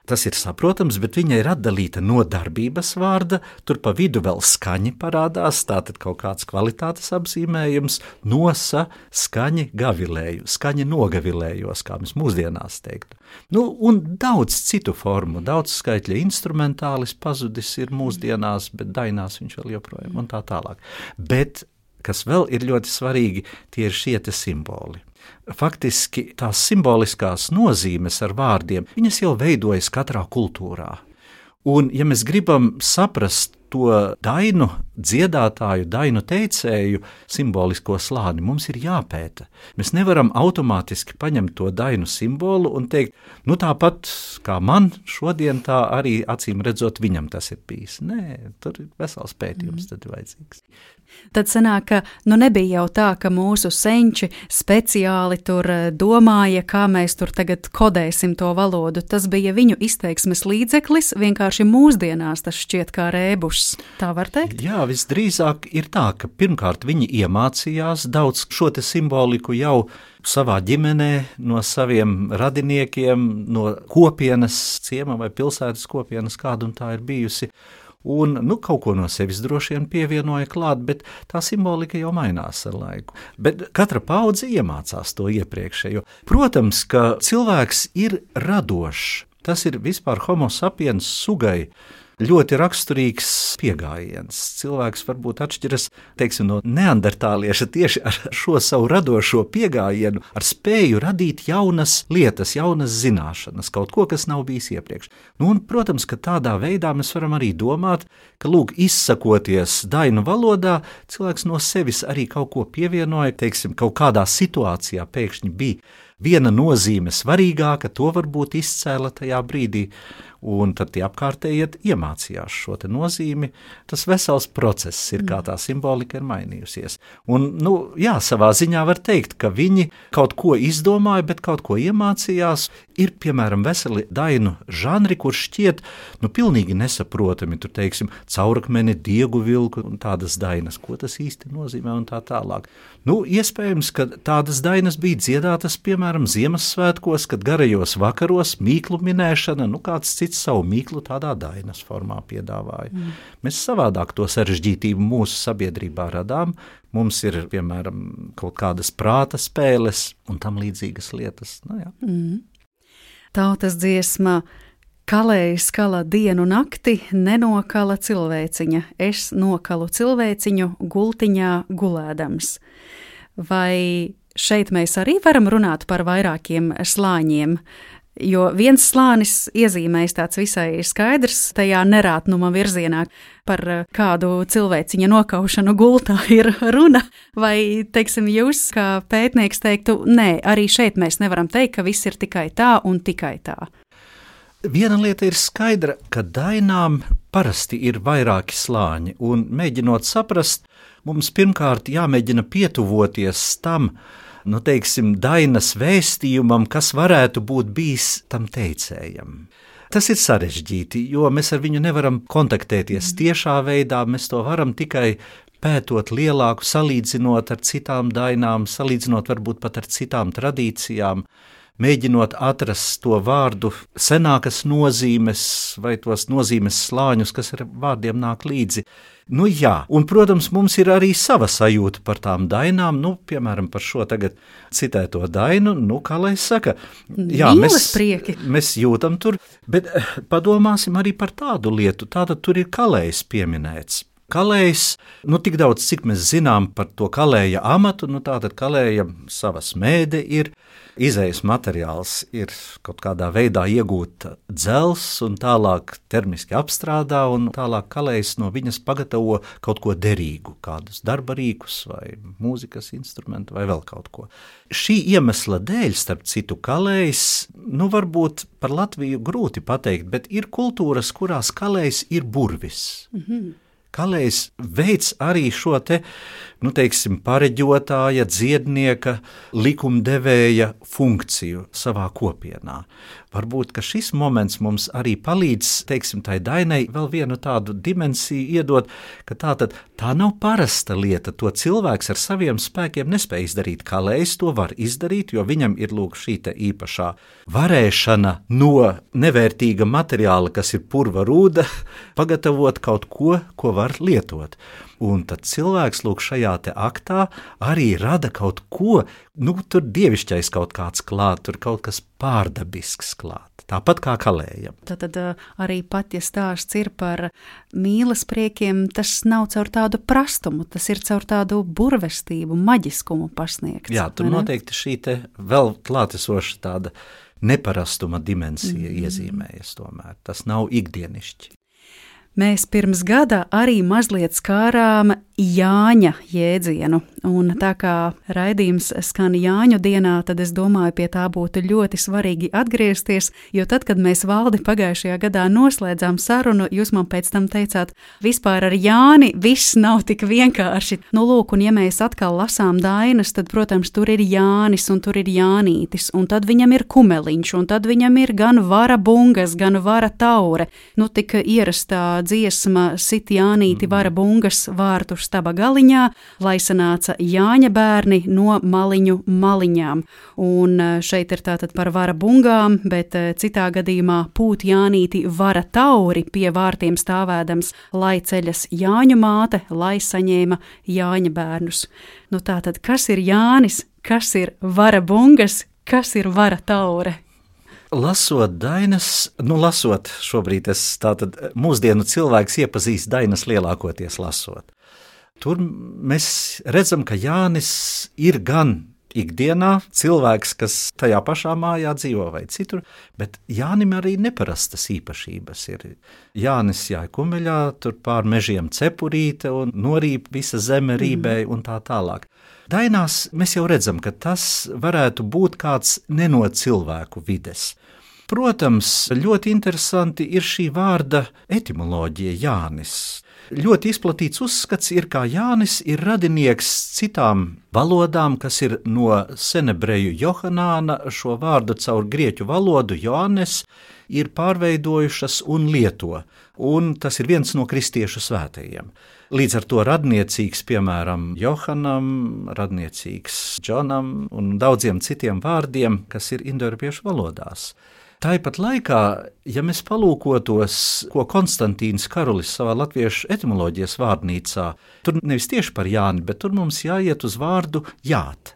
[SPEAKER 5] Tas ir saprotams, bet viņa ir atdalīta no darbības vārda, tur pa vidu vēl skaņi parādās, tātad kaut kāds kvalitātes apzīmējums, nosa skaņi gavilēju, skaņi nogavilējos, kā mēs mūsdienās teiktu. Un daudz citu formu, daudz skaitļa instrumentālis pazudis ir mūsdienās, bet dainās viņš vēl joprojām un tā tālāk. Bet, kas vēl ir ļoti svarīgi, tie ir šie te simboli. Faktiski tās simboliskās nozīmes ar vārdiem, viņas jau veidojas katrā kultūrā. Un, ja mēs gribam saprast to dainu dziedātāju, dainu teicēju simbolisko slāni mums ir jāpēta. Mēs nevaram automātiski paņemt to dainu simbolu un teikt, nu tāpat kā man šodien, tā arī acīm redzot viņam tas ir bijis. Nē, tur ir vesels pētījums tad vajadzīgs.
[SPEAKER 2] Tad sanāk, ka nebija jau tā, ka mūsu senči speciāli tur domāja, kā mēs tur tagad kodēsim to valodu. Tas bija viņu izteiksmes līdzeklis, vienkārši mūsdienās tas šķiet kā rēbušs. Tā var teikt?
[SPEAKER 5] Jā, visdrīzāk ir tā, ka pirmkārt viņi iemācījās daudz šo te simboliku jau savā ģimenē, no saviem radiniekiem, no kopienas, ciema vai pilsētas kopienas, kāda un tā ir bijusi. Un kaut ko no sevis droši vien pievienoja klāt, bet tā simbolika jau mainās ar laiku. Bet katra paudze iemācās to iepriekšējo. Protams, ka cilvēks ir radošs. Tas ir vispār homo sapiens sugai ļoti raksturīgs pieejams. Cilvēks varbūt atšķiras, teiksim, no neandertālieša tieši ar šo savu radošo pieejamu, ar spēju radīt jaunas lietas, jaunas zināšanas, kaut ko, kas nav bijis iepriekš. Un, protams, ka tādā veidā mēs varam arī domāt, ka, izsakoties dainu valodā, cilvēks no sevis arī kaut ko pievienoja, teiksim, kaut kādā situācijā pēkšņi bija viena nozīme svarīgāka, to varbūt izcēla tajā brīdī, un tad tie apkārtējiet iemācījās šo te nozīmi. Tas vesels process ir, kā tā simbolika ir mainījusies. Un, jā, savā ziņā var teikt, ka viņi kaut ko izdomāja, bet kaut ko iemācījās. Ir, piemēram, veseli dainu žanri, kur šķiet, pilnīgi nesaprotami, tur, teiksim, Caurakmeni, Diegu vilku un tādas dainas, ko tas īsti nozīmē un tā tālāk. Iespējams, ka tādas dainas bija dziedātas, piemēram, Ziemassvētkos, kad garajos vakaros mīklu minēšana, kāds cits savu mīklu tādā dainas formā piedāvāja. Mēs savādāk to sarežģītību mūsu sabiedrībā radām. Mums ir, piemēram, kaut kādas prāta spēles un tam līdzīgas lietas.
[SPEAKER 2] Tautas dziesma Kalējs kala dienu nakti, nenokala cilvēciņa. Es nokalu cilvēciņu gultiņā gulēdams. Vai šeit mēs arī varam runāt par vairākiem slāņiem? Jo viens slānis iezīmēs tāds visai skaidrs tajā nerātnuma virzienā, par kādu cilvēciņa nokaušanu gultā ir runa, vai, teiksim, jūs kā pētnieks teiktu, nē, arī šeit mēs nevaram teikt, ka viss ir tikai tā un tikai tā.
[SPEAKER 5] Viena lieta ir skaidra, ka dainām parasti ir vairāki slāņi, un mēģinot saprast, mums pirmkārt jāmēģina pietuvoties tam, dainas vēstījumam, kas varētu būt bijis tam teicējam. Tas ir sarežģīti, jo mēs ar viņu nevaram kontaktēties tiešā veidā, mēs to varam tikai pētot lielāku, salīdzinot ar citām dainām, salīdzinot varbūt pat ar citām tradīcijām, mēģinot atrast to vārdu senākas nozīmes vai tos nozīmes slāņus, kas ar vārdiem nāk līdzi. Jā, un, protams, mums ir arī sava sajūta par tām dainām, piemēram, par šo tagad citēto dainu, kā lai saka, jā, mēs jūtam tur, bet padomāsim arī par tādu lietu, tātad tur ir kalējs pieminēts. Kalējs, tik daudz, cik mēs zinām par to kalēja amatu, tātad kalēja sava smēde ir, izejas materiāls ir kaut kādā veidā iegūta dzels un tālāk termiski apstrādā un tālāk kalējs no viņas pagatavo kaut ko derīgu, kādus darba rīkus vai mūzikas instrumentu vai vēl kaut ko. Šī iemesla dēļ, starp citu, kalējs, varbūt par Latviju grūti pateikt, bet ir kultūras, kurās kalējs ir burvis. Kalējs veids arī šo te, pareģotāja, dziednieka, likumdevēja funkciju savā kopienā. Varbūt, ka šis moments mums arī palīdz, tai dainai vēl vienu tādu dimensiju iedot, ka tā nav parasta lieta, to cilvēks ar saviem spēkiem nespēj izdarīt. Kalējs to var izdarīt, jo viņam ir šī te īpašā varēšana no nevērtīga materiāla, kas ir purva rūda, pagatavot kaut ko, ko var lietot. Un tad cilvēks šajā te aktā arī rada kaut ko, tur dievišķais kaut kāds klāt, tur kaut kas pārdabisks klāt, tāpat kā kalējam.
[SPEAKER 2] Tad arī pat, ja stāsts ir par mīlas priekiem, tas nav caur tādu prastumu, tas ir caur tādu burvestību, maģiskumu pasniegts.
[SPEAKER 5] Jā, tur noteikti šī te vēl klātesoša tāda neparastuma dimensija iezīmējas tomēr, tas nav ikdienišķi.
[SPEAKER 2] Mēs pirms gada arī mazliet skārām Jāņa jēdzienu, un tā kā raidījums skan Jāņu dienā, tad es domāju, pie tā būtu ļoti svarīgi atgriezties, jo tad, kad mēs Valdi pagājušajā gadā noslēdzām sarunu, jūs man pēc tam teicāt, vispār ar Jāni viss nav tik vienkārši. Nu, lūk, un ja mēs atkal lasām dainas, tad, protams, tur ir Jānis un tur ir Jānītis, un tad viņam ir kumeliņš, un tad viņam ir gan vara bungas, gan vara taure. Nu, tik ierastā dziesma sit Jānīti vara bungas vārtu staba galiņā, lai sanāca Jāņa bērni no maliņu maliņām. Un šeit ir tātad par vara bungām, bet citā gadījumā pūt Jānīti vara tauri pie vārtiem stāvēdams, lai ceļas Jāņu māte, lai saņēma Jāņa bērnus. Nu tātad, kas ir Jānis, kas ir vara bungas, kas ir vara taure?
[SPEAKER 5] Lasot dainas, lasot šobrīd tātad mūsdienu cilvēks iepazīst dainas lielākoties lasot. Tur mēs redzam, ka Jānis ir gan ikdienā cilvēks, kas tajā pašā mājā dzīvo vai citur, bet Jānim arī neparastas īpašības ir. Jānis jāja kumeļā, tur pār mežiem cepurīte un norīp visa zeme rībēja un tā tālāk. Dainās mēs jau redzam, ka tas varētu būt kāds neno cilvēku vides. Protams, ļoti interesanti ir šī vārda etimoloģija Jānis. Ļoti izplatīts uzskats ir, kā Jānis ir radinieks citām valodām, kas ir no senebreju Johanāna šo vārdu caur grieķu valodu Joannes ir pārveidojušas un lieto, un tas ir viens no kristiešu svētajiem. Līdz ar to radniecīgs, piemēram, Johanam, radniecīgs Džonam un daudziem citiem vārdiem, kas ir indoeiropiešu valodās. Tāpat laikā, ja mēs palūkotos, ko Konstantīns Karulis savā latviešu etimoloģijas vārnīcā, tur nevis tieši par Jāni, bet tur mums jāiet uz vārdu jāt.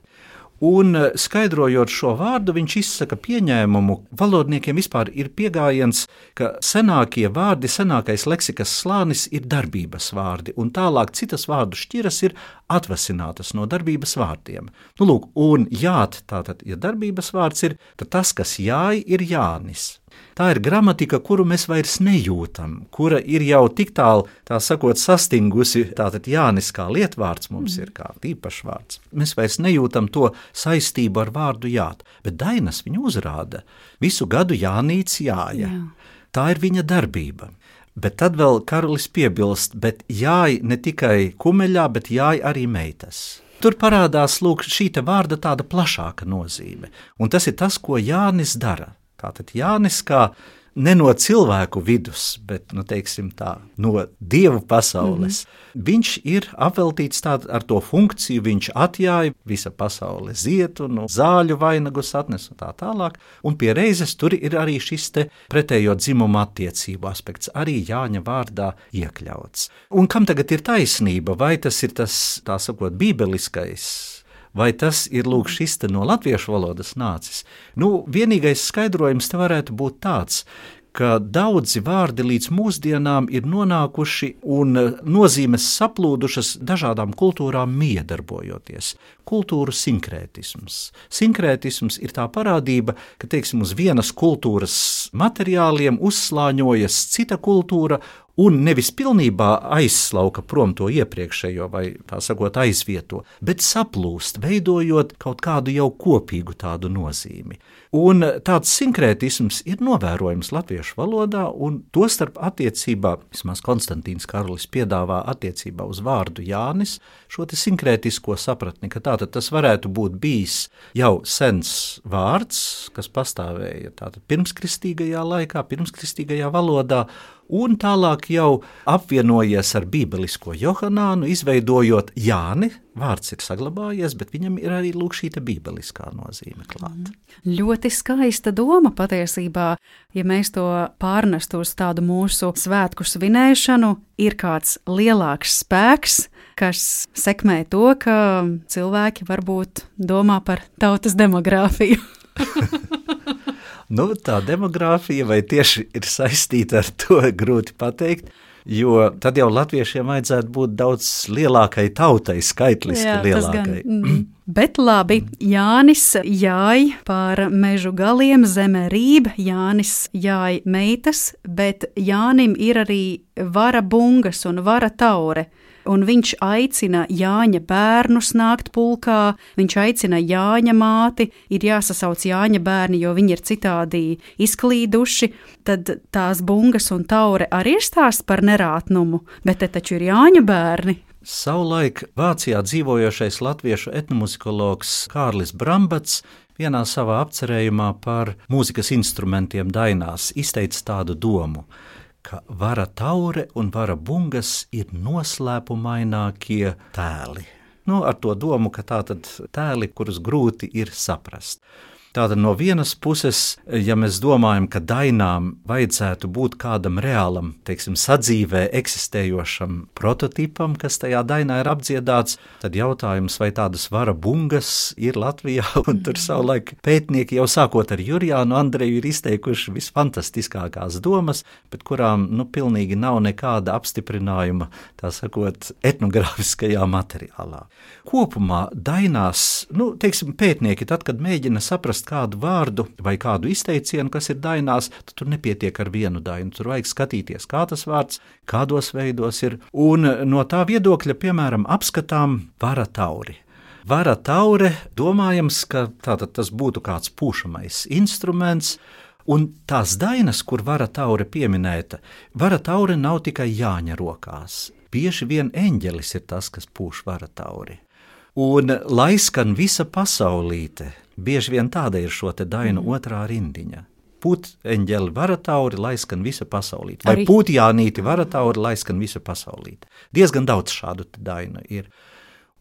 [SPEAKER 5] Un skaidrojot šo vārdu, viņš izsaka pieņēmumu, valodniekiem vispār ir pieejams, ka senākie vārdi, senākais leksikas slānis ir darbības vārdi, un tālāk citas vārdu šķiras ir atvasinātas no darbības vārdiem. Lūk, un jāt, tātad, ja darbības vārds ir, tad tas, kas jāj, ir Jānis. Tā ir gramatika, kuru mēs vairs nejūtam, kura ir jau tik tālu, tā sakot, sastingusi, tātad Jānis kā lietvārds mums ir kā īpašvārds. Mēs vairs nejūtam to saistību ar vārdu jāt, bet dainas viņu uzrāda. Visu gadu Jānīts jāja. Tā ir viņa darbība. Bet tad vēl Karolis piebilst, bet jāj ne tikai kumeļā, bet jāj arī meitas. Tur parādās, lūk, šī te vārda tāda plašāka nozīme, un tas ir tas, ko Jānis dara. Tātad Jānis kā ne no cilvēku vidus, bet, teiksim tā, no dievu pasaules. Viņš ir apveltīts tād ar to funkciju, viņš atjāja, visa pasaule ziet un zāļu vainagus atnes un tā tālāk, un pie reizes tur ir arī šis te pretējo dzimumu attiecību aspekts, arī Jāņa vārdā iekļauts. Un kam tagad ir taisnība, vai tas ir tas, tā sakot, bībeliskais, vai tas ir, lūk, šis te no latviešu valodas nācis? Vienīgais skaidrojums te varētu būt tāds, ka daudzi vārdi līdz mūsdienām ir nonākuši un nozīmes saplūdušas dažādām kultūrām miedarbojoties. Kultūru sinkrētisms. Sinkrētisms ir tā parādība, ka, teiksim, uz vienas kultūras materiāliem uzslāņojas cita kultūra un nevis pilnībā aizslauka prom to iepriekšējo vai, tā sakot, aizvieto, bet saplūst, veidojot kaut kādu jau kopīgu tādu nozīmi. Un tāds sinkrētisms ir novērojams latviešu valodā, un tostarp attiecībā, vismaz Konstantīns Karolis piedāvā attiecībā uz vārdu Jānis, šo te sinkrētisko sapratni, ka tātad tas varētu būt bijis jau sens vārds, kas pastāvēja tātad pirmskristīgajā laikā, pirmskristīgajā valodā, un tālāk jau apvienojies ar bībelisko Johanānu, izveidojot Jāni, vārds ir saglabājies, bet viņam ir arī lūk šī te bībeliskā nozīme klāt.
[SPEAKER 2] Ļoti skaista doma patiesībā, ja mēs to pārnestu uz tādu mūsu svētku svinēšanu, ir kāds lielāks spēks, kas sekmē to, ka cilvēki varbūt domā par tautas demogrāfiju.
[SPEAKER 5] Tā demogrāfija vai tieši ir saistīta ar to, grūti pateikt, Jo tad jau latviešiem vajadzētu būt daudz lielākai tautai, skaitliski lielākai.
[SPEAKER 2] Bet labi, Jānis jāj pār mežu galiem, zeme rīb, Jānis jāj meitas, bet Jānim ir arī vara bungas un vara taure. Un viņš aicina Jāņa bērnus nākt pulkā, viņš aicina Jāņa māti, ir jāsasauc Jāņa bērni, jo viņi ir citādi izklīduši, tad tās bungas un taure arī ir stāsts par nerātnumu, bet te taču ir Jāņa bērni.
[SPEAKER 5] Savulaik Vācijā dzīvojošais latviešu etnomuzikologs Kārlis Brambats vienā savā apcerējumā par mūzikas instrumentiem dainās izteica tādu domu, ka vara taure un vara bungas ir noslēpumainākie tēli. Ar to domu, ka tātad tēli, kurus grūti ir saprast. Tātad no vienas puses, ja mēs domājam, ka dainām vajadzētu būt kādam reālam, sadzīvē eksistējošam prototipam, kas tajā dainā ir apdziedāts, tad jautājums, vai tādas vara bungas ir Latvijā, un tur savulaik pētnieki jau sākot ar Jurjānu Andreju ir izteikuši visfantastiskākās domas, bet kurām pilnīgi nav nekāda apstiprinājuma, tā sakot, etnogrāfiskajā materiālā. Kopumā dainās, pētnieki tad, kad mēģina saprast kādu vārdu vai kādu izteicienu, kas ir dainās, tad tur nepietiek ar vienu dainu. Tur vajag skatīties, kā tas vārds, kādos veidos ir. Un no tā viedokļa, piemēram, apskatām vara tauri. Vara taure, domājams, ka tātad tas būtu kāds pūšamais instruments, un tās dainas, kur vara taure pieminēta, vara taure nav tikai Jāņa rokās. Bieži vien eņģelis ir tas, kas pūš vara tauri. Un lai skan visa pasaulīte, bieži vien tāda ir šo te dainu otrā rindiņa. Pūt eņģeli vara tauri, lai skan visa pasaulīte. Vai pūt Jānīti vara tauri, lai skan visa pasaulīte. Diezgan daudz šādu dainu ir.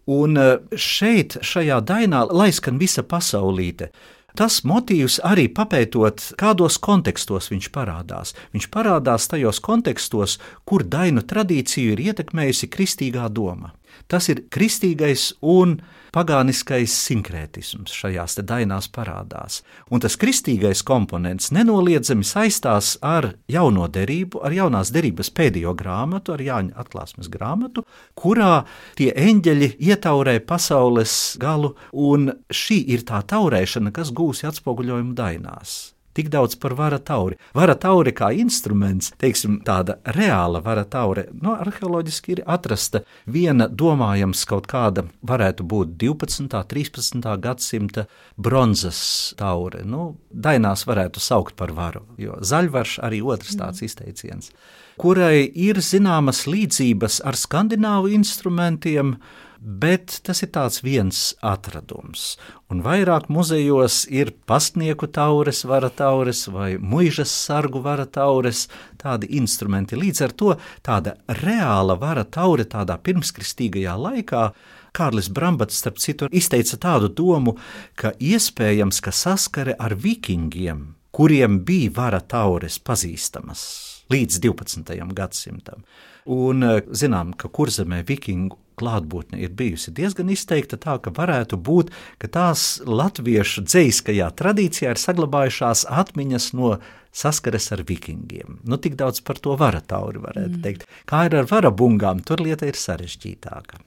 [SPEAKER 5] Un šeit, šajā dainā, lai skan visa pasaulīte, tas motīvs arī papētot, kādos kontekstos viņš parādās. Viņš parādās tajos kontekstos, kur dainu tradīciju ir ietekmējusi kristīgā doma. Tas ir kristīgais un pagāniskais sinkrētisms šajās te dainās parādās. Un tas kristīgais komponents nenoliedzami saistās ar jauno derību, ar jaunās derības pēdējo grāmatu, ar Jāņa atklāsmes grāmatu, kurā tie eņģeļi ietaurē pasaules galu, un šī ir tā taurēšana, kas gūsi atspoguļojumu dainās. Tik daudz par vara tauri. Vara tauri kā instruments, tāda reāla vara taure, arheoloģiski ir atrasta viena domājams kaut kāda, varētu būt 12. 13. gadsimta bronzas taure. Dainās varētu saukt par varu, jo zaļvarš arī otrs tāds izteiciens, kurai ir zināmas līdzības ar skandināvu instrumentiem, bet tas ir tāds viens atradums. Un vairāk muzejos ir pastnieku taures, vara taures vai muižas sargu vara taures, tādi instrumenti. Līdz ar to tāda reāla vara taure tādā pirmskristīgajā laikā, Kārlis Brambats, starp citu, izteica tādu domu, ka iespējams, ka saskare ar vikingiem, kuriem bija vara taures pazīstamas līdz 12. gadsimtam. Un zinām, ka Kurzemē vikingu klātbūtne ir bijusi diezgan izteikta tā, ka varētu būt, ka tās latviešu dzejskajā tradīcijā ir saglabājušās atmiņas no saskares ar vikingiem. Tik daudz par to vara tauri varētu teikt. Kā ir ar vara bungām, tur lieta ir sarežģītāka.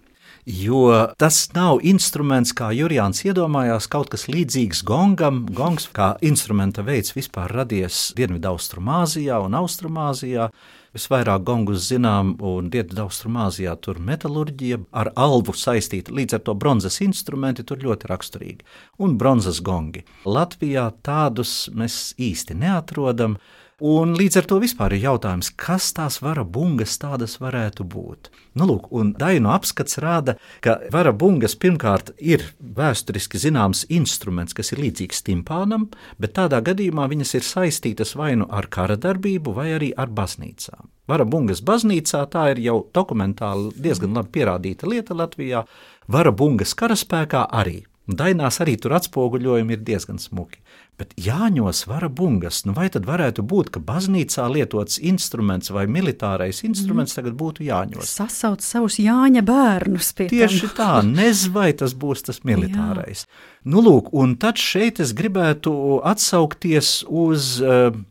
[SPEAKER 5] Jo tas nav instruments, kā Jurjāns iedomājās, kaut kas līdzīgs gongam. Gongs kā instrumenta veids vispār radies Dienvidaustrumāzijā un Austrumāzijā. Visvairāk gongus zinām, un Dienvidaustrumāzijā tur metalurģija ar alvu saistīta, līdz ar to bronzas instrumenti tur ļoti raksturīgi. Un bronzas gongi. Latvijā tādus mēs īsti neatrodam. Un līdz ar to vispār ir jautājums, kas tās vara bungas tādas varētu būt. Un dainu apskats rāda, ka vara bungas pirmkārt ir vēsturiski zināms instruments, kas ir līdzīgs timpānam, bet tādā gadījumā viņas ir saistītas vai nu ar kara darbību, vai arī ar baznīcām. Vara bungas baznīcā tā ir jau dokumentāli diezgan labi pierādīta lieta Latvijā. Vara bungas karaspēkā arī. Dainās arī tur atspoguļojumi ir diezgan smuki. Bet Jāņos vara bungas, vai tad varētu būt, ka baznīcā lietots instruments vai militārais instruments tagad būtu Jāņos?
[SPEAKER 2] Sasauc savus Jāņa bērnus pie
[SPEAKER 5] Tieši tā, nezinu, vai tas būs tas militārais. Nu, lūk, un tad šeit es gribētu atsaukties uz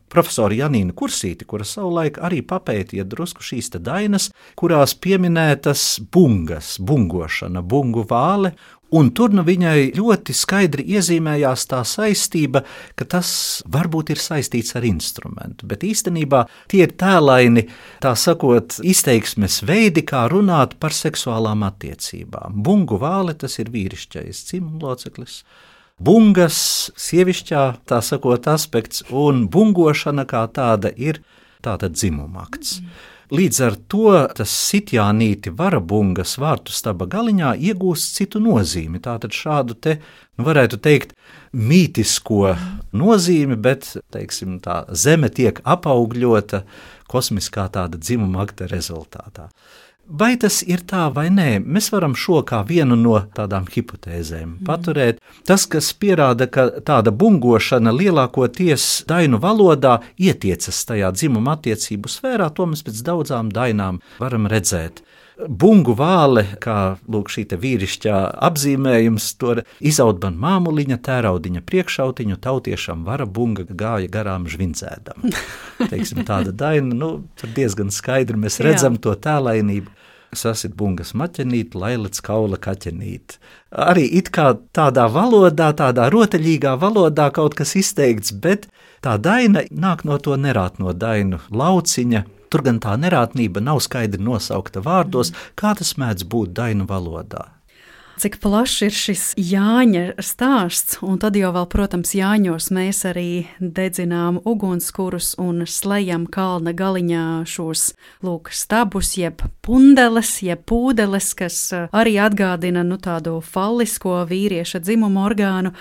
[SPEAKER 5] profesoru Janīnu Kursīti, kura savulaik arī papētīja drusku šīs te dainas, kurās pieminētas bungas, bungošana, bungu vāle. Un tur viņai ļoti skaidri iezīmējās tā saistība, ka tas varbūt ir saistīts ar instrumentu, bet īstenībā tie ir tēlaini, tā sakot, izteiksmes veidi, kā runāt par seksuālām attiecībām. Bungu vāle, tas ir vīrišķais dzimumloceklis. Bungas, sievišķā, tā sakot, aspekts, un bungošana kā tāda ir tāda dzimumakts. Līdz ar to tas sitjānīti varabungas vārtu staba galiņā iegūst citu nozīmi. Tātad šādu te, varētu teikt, mītisko nozīmi, bet, teiksim, tā zeme tiek apaugļota kosmiskā tāda dzimuma akta rezultātā. Vai tas ir tā vai nē, mēs varam šo kā vienu no tādām hipotēzēm paturēt. Tas, kas pierāda, ka tāda bungošana lielākoties dainu valodā ietiecas tajā dzimuma attiecību sfērā, to mēs pēc daudzām dainām varam redzēt. Bungu vāle, kā lūk šī te vīrišķā apzīmējums, to izaut man māmuliņa, tēraudiņa priekšautiņu, tautiešam vara bunga gāja garām žvindzēdam. Teiksim, tāda daina, tur diezgan skaidri mēs redzam to tēlainību. Sasit bungas maķenīt, lailec kaula kaķenīt. Arī it kā tādā valodā, tādā rotaļīgā valodā kaut kas izteikts, bet tā daina nāk no to nerātno dainu lauciņa. Tur gan tā nerātnība nav skaidri nosaukta vārdos, kā tas mēdz būt dainu valodā.
[SPEAKER 2] Cik plašs ir šis Jāņa stāsts, un tad jau vēl, protams, Jāņos mēs arī dedzinām ugunskurus un slejam kalna galiņā šos, lūk, stabus, jeb pundeles, jeb pūdeles, kas arī atgādina, tādu fallisko vīrieša dzimumu orgānu.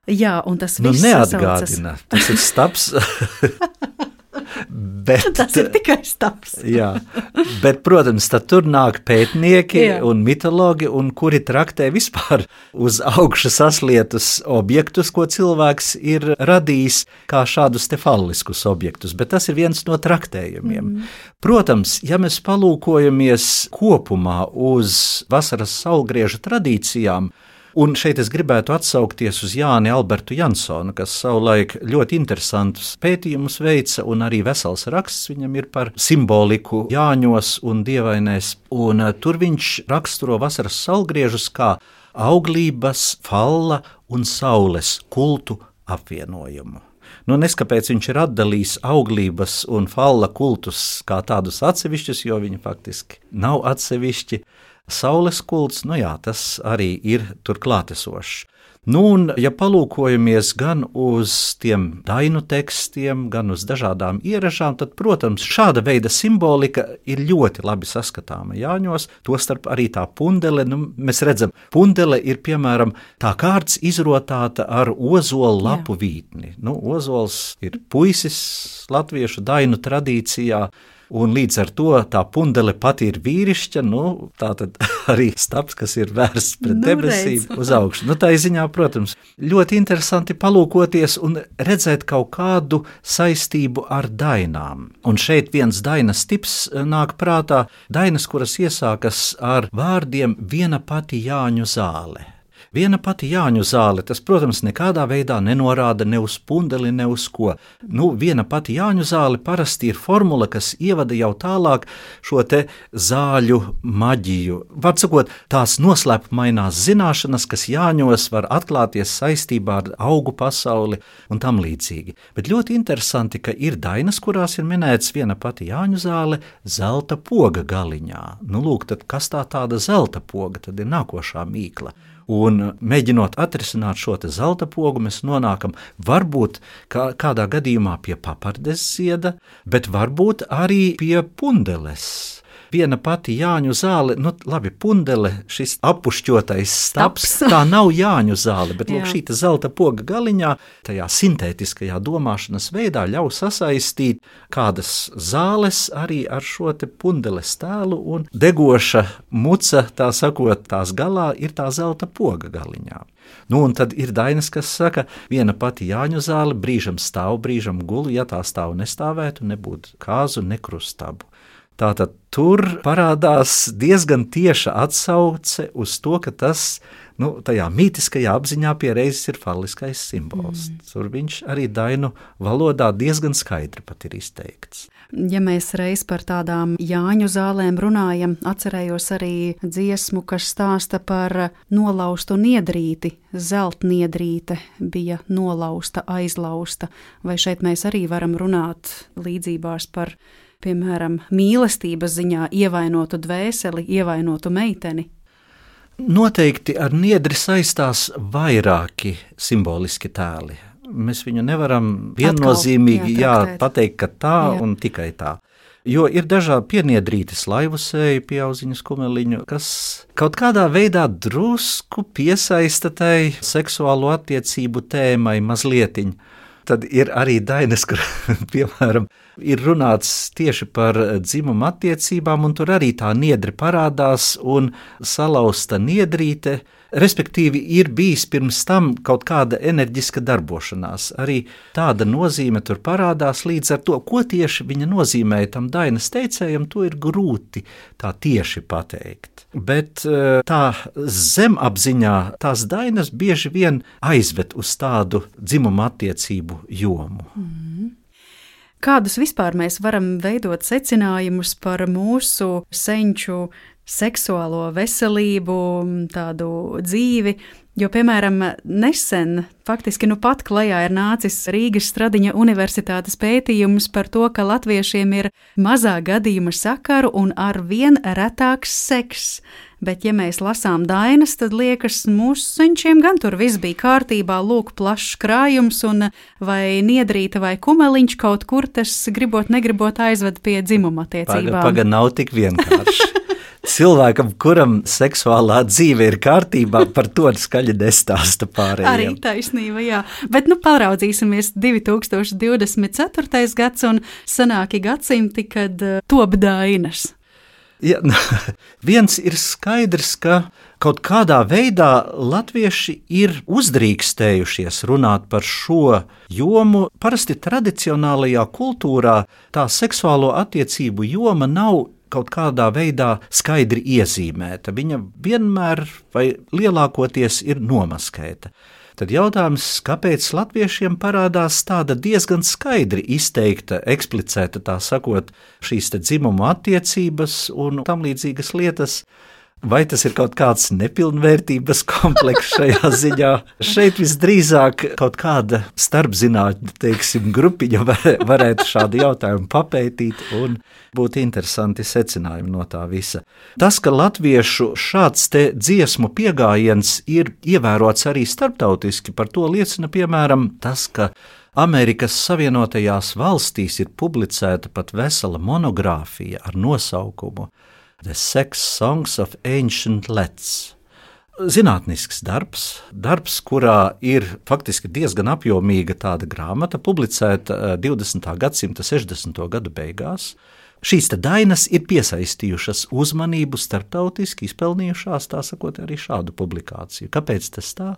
[SPEAKER 2] Jā, un tas viss
[SPEAKER 5] neatgādina, tas ir stabs. Bet,
[SPEAKER 2] tas ir tikai stabs.
[SPEAKER 5] Jā, bet, protams, tad tur nāk pētnieki un mitologi, un kuri traktē vispār uz augšu saslietus objektus, ko cilvēks ir radījis kā šādus te falliskus objektus, bet tas ir viens no traktējumiem. Protams, ja mēs palūkojamies kopumā uz vasaras saulgrieža tradīcijām, un šeit es gribētu atsaukties uz Jāni Albertu Jansonu, kas savulaik ļoti interesantus pētījumus veica, un arī vesels raksts viņam ir par simboliku Jāņos un dievainēs. Un tur viņš raksturo vasaras saulgriežus kā auglības, falla un saules kultu apvienojumu. Neskapēc viņš ir atdalījis auglības un falla kultus kā tādus atsevišķus, jo viņi faktiski nav atsevišķi. Saules kults, tas arī ir tur klātesošs. Un, ja palūkojamies gan uz tiem dainu tekstiem, gan uz dažādām ieražām, tad, protams, šāda veida simbolika ir ļoti labi saskatāma Jāņos, tostarp arī tā pundele. Mēs redzam, pundele ir, piemēram, tā kārts izrotāta ar ozolu lapu vītni. Ozols ir puisis latviešu dainu tradīcijā, un līdz ar to tā pundele pati ir vīrišķa, tā tad arī stabs, kas ir vērsts pret debesīm uz augšu. Tā ziņā, protams, ļoti interesanti palūkoties un redzēt kaut kādu saistību ar dainām. Un šeit viens dainas tips nāk prātā, dainas, kuras iesākas ar vārdiem viena pati Jāņu zāle. Viena pati Jāņu zāle, tas, protams, nekādā veidā nenorāda ne uz pundeli, ne uz ko. Viena pati Jāņu zāle parasti ir formula, kas ievada jau tālāk šo te zāļu maģiju. Var sakot, tās noslēpumainās zināšanas, kas Jāņos var atklāties saistībā ar augu pasauli un tam līdzīgi. Bet ļoti interesanti, ka ir dainas, kurās ir minēts viena pati Jāņu zāle zelta poga galiņā. Lūk, tad kas tāda zelta poga, tad ir nākošā mīkla. Un mēģinot atrisināt šo te zelta pogu, mēs nonākam varbūt kādā gadījumā pie papardes zieda, bet varbūt arī pie pundeles. viena pati Jāņu zāle, labi, pundele, šis apušķotais staps, tā nav Jāņu zāle, bet lūk, šī zelta poga galiņā, tajā sintētiskajā domāšanas veidā ļauj sasaistīt kādas zāles arī ar šo te pundeles tēlu, un degoša muca, tā sakot, tās galā ir tā zelta poga galiņā. Un tad ir dainas, kas saka, viena pati Jāņu zāle brīžam stāv, brīžam gulu, ja tā stāv nestāvētu, nebūtu kāzu, ne krustabu. Tātad tur parādās diezgan tieša atsauce uz to, ka tas, tajā mītiskajā apziņā pie reizes ir falliskais simbols. Tur viņš arī dainu valodā diezgan skaidri pat ir izteikts.
[SPEAKER 2] Ja mēs reiz par tādām Jāņu zālēm runājam, atcerējos arī dziesmu, kas stāsta par nolaustu niedrīti. Zeltniedrīte bija nolausta, aizlausta. Vai šeit mēs arī varam runāt līdzībās par, piemēram, mīlestības ziņā ievainotu dvēseli, ievainotu meiteni?
[SPEAKER 5] Noteikti ar niedri saistās vairāki simboliski tēli. Mēs viņu nevaram viennozīmīgi pateikt, ka tā un tikai tā. Jo ir dažādi pieniedrītes laivusēji, pieauziņas kumeliņu, kas kaut kādā veidā drusku piesaista tai seksuālo attiecību tēmai mazlietiņ. Tad ir arī dainas, kur, piemēram, ir runāts tieši par dzimumu attiecībām, un tur arī tā niedre parādās un salauzta niedrīte, respektīvi ir bijis pirms tam kaut kāda enerģiska darbošanās. Arī tāda nozīme tur parādās, līdz ar to, ko tieši viņa nozīmēja tam dainas teicējam, to ir grūti tā tieši pateikt. Bet tā zemapziņā tās dainas bieži vien aizved uz tādu dzimumu attiecību jomu.
[SPEAKER 2] Kādus vispār mēs varam veidot secinājumus par mūsu senču seksuālo veselību, tādu dzīvi? Jo, piemēram, nesen, faktiski pat klajā ir nācis Rīgas Stradiņa universitātes pētījums par to, ka latviešiem ir mazā gadījuma sakaru un arvien retāks seks. Bet, ja mēs lasām dainas, tad liekas, mūsu senčiem gan tur viss bija kārtībā, lūk, plašs krājums, un vai niedrīte vai kumeliņš kaut kur tas gribot, negribot aizved pie dzimuma attiecībām.
[SPEAKER 5] Paga nav tik vienkārši. Cilvēkam, kuram seksuālā dzīve ir kārtībā, par to skaļi nestāsta pārējiem.
[SPEAKER 2] Arī taisnība, jā. Bet paraudzīsimies 2024. gads un sanāki gadsimti, kad top dainas.
[SPEAKER 5] Ja, viens ir skaidrs, ka kaut kādā veidā latvieši ir uzdrīkstējušies runāt par šo jomu. Parasti tradicionālajā kultūrā tā seksuālo attiecību joma nav kaut kādā veidā skaidri iezīmēta. Viņa vienmēr vai lielākoties ir nomaskēta. Tad jautājums, kāpēc latviešiem parādās tāda diezgan skaidri izteikta, eksplicēta, tā sakot, šīs te dzimumu attiecības un tam līdzīgas lietas? Vai tas ir kaut kāds nepilnvērtības komplekss šajā ziņā? Šeit visdrīzāk kaut kāda starpzinātņu, grupiņa varētu šādu jautājumu papētīt un būtu interesanti secinājumi no tā visa. Tas, ka latviešu šāds te dziesmu piegājiens ir ievērots arī starptautiski, par to liecina piemēram tas, ka Amerikas Savienotajās valstīs ir publicēta pat vesela monogrāfija ar nosaukumu The Sex Songs of Ancient Lets. Zinātnisks darbs, kurā ir faktiski diezgan apjomīga tāda grāmata, publicēta 20. gadsimta 60. gadu beigās. Šīs te dainas ir piesaistījušas uzmanību starptautiski, izpelnījušās, tā sakot, arī šādu publikāciju. Kāpēc tas tā?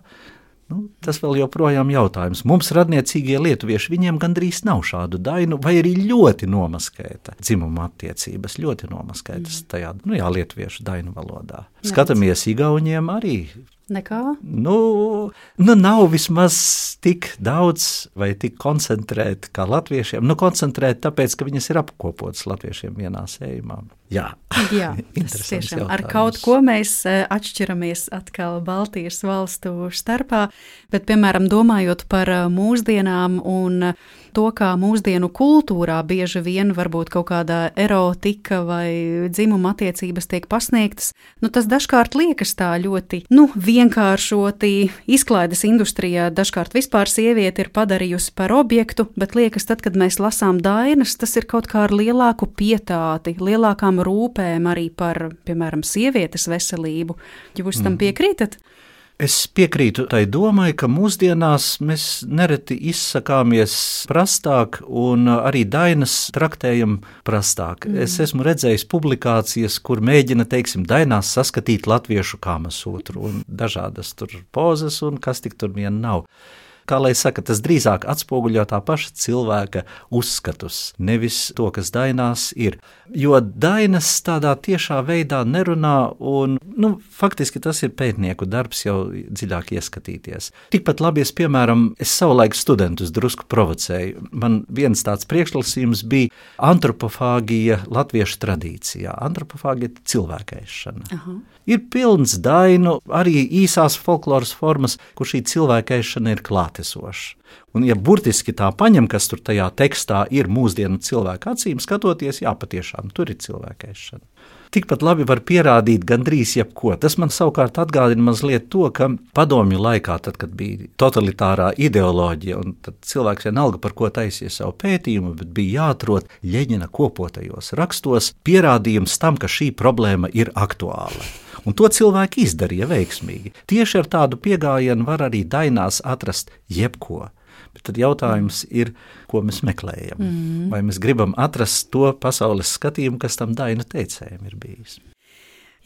[SPEAKER 5] Tas vēl joprojām jautājums. Mums radniecīgie lietuvieši, viņiem gandrīz nav šādu dainu, vai arī ļoti nomaskēta dzimuma attiecības, ļoti nomaskētas tajā, lietuviešu dainu valodā. Skatāmies Igauniem arī.
[SPEAKER 2] Nekā?
[SPEAKER 5] Nav vismaz tik daudz vai tik koncentrēti kā latviešiem. Koncentrēti tāpēc, ka viņas ir apkopotas latviešiem vienā sējumā. Jā,
[SPEAKER 2] tas tiešām jautājums. Ar kaut ko mēs atšķiramies atkal Baltijas valstu starpā, bet, piemēram, domājot par mūsdienām un to, kā mūsdienu kultūrā bieži vien varbūt kaut kāda erotika vai dzimuma attiecības tiek pasniegtas, tas dažkārt liekas tā ļoti, vienkāršoti. Izklaides industrijā dažkārt vispār sieviete ir padarījusi par objektu, bet liekas, tad, kad mēs lasām dainas, tas ir kaut kā ar lielāku pietāti, lielākām rūpēm arī par, piemēram, sievietes veselību. Jūs tam piekrītat?
[SPEAKER 5] Es piekrītu tai domai, ka mūsdienās mēs nereti izsakāmies prastāk un arī dainas traktējam prastāk. Es esmu redzējis publikācijas, kur mēģina, teiksim, dainās saskatīt latviešu kamasūtru un dažādas tur pozas un kas tik tur vien nav. Kā lai saka, tas drīzāk atspoguļo tā paša cilvēka uzskatus, nevis to, kas dainās ir. Jo dainas tādā tiešā veidā nerunā un, faktiski tas ir pētnieku darbs jau dziļāk ieskatīties. Tikpat labi piemēram, es savulaik studentus drusku provocēju. Man viens tāds priekšlasījums bija antropofāgija latviešu tradīcijā. Antropofāgija ir cilvēkēšana. Aha. Ir pilns dainu, arī īsās folkloras formas, kur šī cilvēkēšana ir klātesoša. Un, ja burtiski tā paņem, kas tur tajā tekstā ir mūsdienu cilvēku acīm skatoties, jā, patiešām tur ir cilvēkēšana. Tikpat labi var pierādīt gandrīz jebko. Tas man savukārt atgādina mazliet to, ka padomju laikā, tad, kad bija totalitārā ideoloģija, un tad cilvēks vienalga par ko taisīja savu pētījumu, bet bija jāatrod Ļeņina kopotajos rakstos pierādījums tam, ka šī problēma ir aktuāla. Un to cilvēki izdarīja veiksmīgi. Tieši ar tādu piegājienu var arī dainās atrast jebko. Bet tad jautājums ir, ko mēs meklējam. Vai mēs gribam atrast to pasaules skatījumu, kas tam dainu teicējiem ir bijis.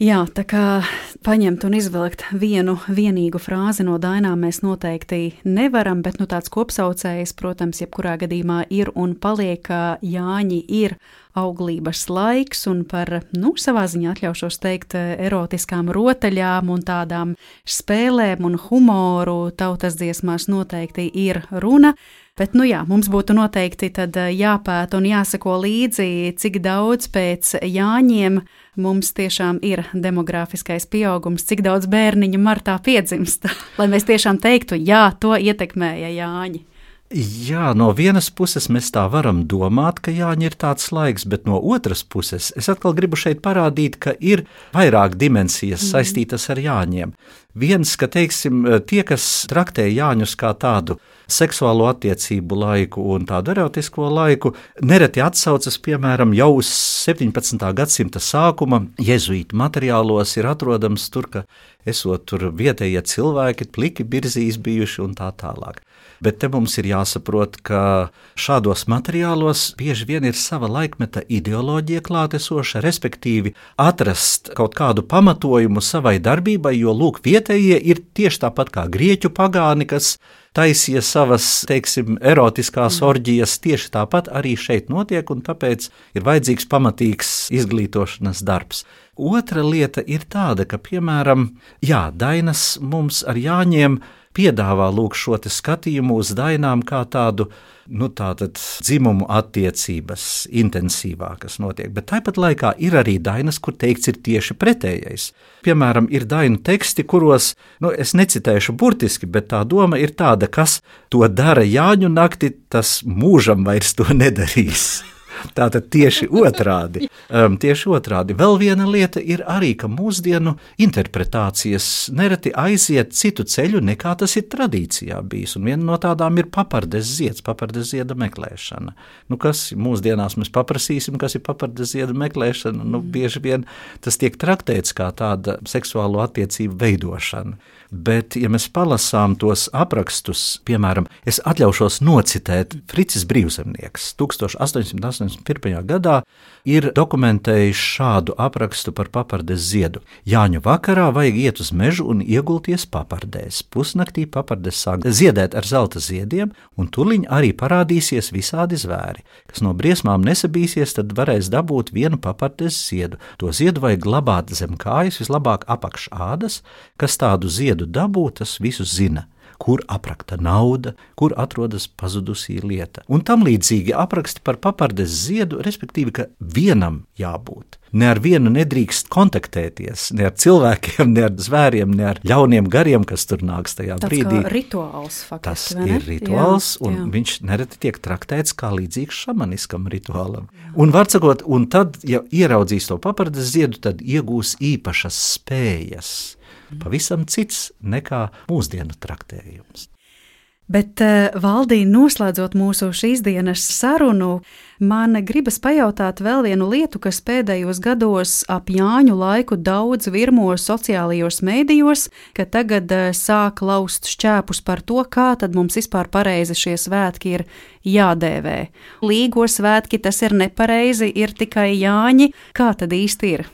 [SPEAKER 2] Jā, tā kā paņemt un izvilkt vienu vienīgu frāzi no dainām mēs noteikti nevaram, bet tāds kopsaucējs, protams, jebkurā gadījumā ir un paliek, ka Jāņi ir auglības laiks un par, savā ziņā atļaušos teikt, erotiskām rotaļām un tādām spēlēm un humoru tautas dziesmās noteikti ir runa. Bet, mums būtu noteikti tad jāpēta un jāseko līdzi, cik daudz pēc Jāņiem mums tiešām ir demogrāfiskais pieaugums, cik daudz bērniņu martā piedzimst, lai mēs tiešām teiktu, jā, to ietekmēja Jāņi.
[SPEAKER 5] Jā, no vienas puses mēs tā varam domāt, ka Jāņi ir tāds laiks, bet no otras puses es atkal gribu šeit parādīt, ka ir vairāk dimensijas saistītas ar Jāņiem. Viens, ka, teiksim, tie, kas traktē Jāņus kā tādu seksuālo attiecību laiku un tādu erotisko laiku, nereti atsaucas, piemēram, jau uz 17. gadsimta sākuma jezuītu materiālos ir atrodams tur, ka esot tur vietējie cilvēki, pliki birzīs bijuši un tā tālāk. Bet te mums ir jāsaprot, ka šādos materiālos bieži vien ir sava laikmeta ideoloģija klātesoša, respektīvi atrast kaut kādu pamatojumu savai darbībai, jo, lūk, vietējie ir tieši tāpat kā grieķu pagāni, kas taisīja savas, teiksim, erotiskās orģijas, tieši tāpat arī šeit notiek, un tāpēc ir vajadzīgs pamatīgs izglītošanas darbs. Otra lieta ir tāda, ka, piemēram, dainas mums ar Jāņiem piedāvā lūk šo te skatījumu uz dainām kā tādu, tātad dzimumu attiecības intensīvākas notiek, bet tāpat laikā ir arī dainas, kur teikts ir tieši pretējais. Piemēram, ir dainu teksti, kuros, es necitēšu burtiski, bet tā doma ir tāda, kas to dara Jāņu nakti, tas mūžam vairs to nedarīs. Tātad tieši otrādi. Vēl viena lieta ir arī, ka mūsdienu interpretācijas nereti aiziet citu ceļu, nekā tas ir tradīcijā bijis. Un viena no tādām ir papardes zieds, papardes zieda meklēšana. Kas mūsdienās mēs paprasīsim, kas ir papardes zieda meklēšana? Bieži vien tas tiek traktēts kā tāda seksuālo attiecību veidošana. Bet, ja mēs palasām tos aprakstus, piemēram, es atļaušos nocitēt Fricis Brīvzemnieks 1881. gadā ir dokumentējis šādu aprakstu par papardes ziedu. Jāņu vakarā vajag iet uz mežu un iegulties papardēs. Pusnaktī papardes sāk ziedēt ar zelta ziediem, un tuliņ arī parādīsies visādi zvēri. Kas no briesmām nesabīsies, tad varēs dabūt vienu papardes ziedu. To ziedu vajag glabāt zem kājas, vislabāk apakš ādas, kas tādu ziedu dabū, tas visu zina. Kur aprakta nauda, kur atrodas pazudusī lieta. Un tam līdzīgi apraksti par papardes ziedu, respektīvi, ka vienam jābūt. Ne ar vienu nedrīkst kontaktēties, ne ar cilvēkiem, ne ar zvēriem, ne ar ļauniem gariem, kas tur nāks tajā brīdī.
[SPEAKER 2] Tas kā rituāls faktiski,
[SPEAKER 5] vai ne? Tas ir rituāls, un viņš nereti tiek traktēts kā līdzīgs šamaniskam rituālam. Un var sakot, un tad, ja ieraudzīs to papardes ziedu, tad iegūs īpašas spējas. pavisam cits nekā mūsdienu traktējums.
[SPEAKER 2] Bet, Valdī, noslēdzot mūsu šīs dienas sarunu, man gribas pajautāt vēl vienu lietu, kas pēdējos gados ap Jāņu laiku daudz virmo sociālajos mēdījos, ka tagad sāk laust šķēpus par to, kā tad mums vispār pareizi šie svētki ir jādēvē. Līgo svētki tas ir nepareizi, ir tikai Jāņi. Kā tad īsti ir?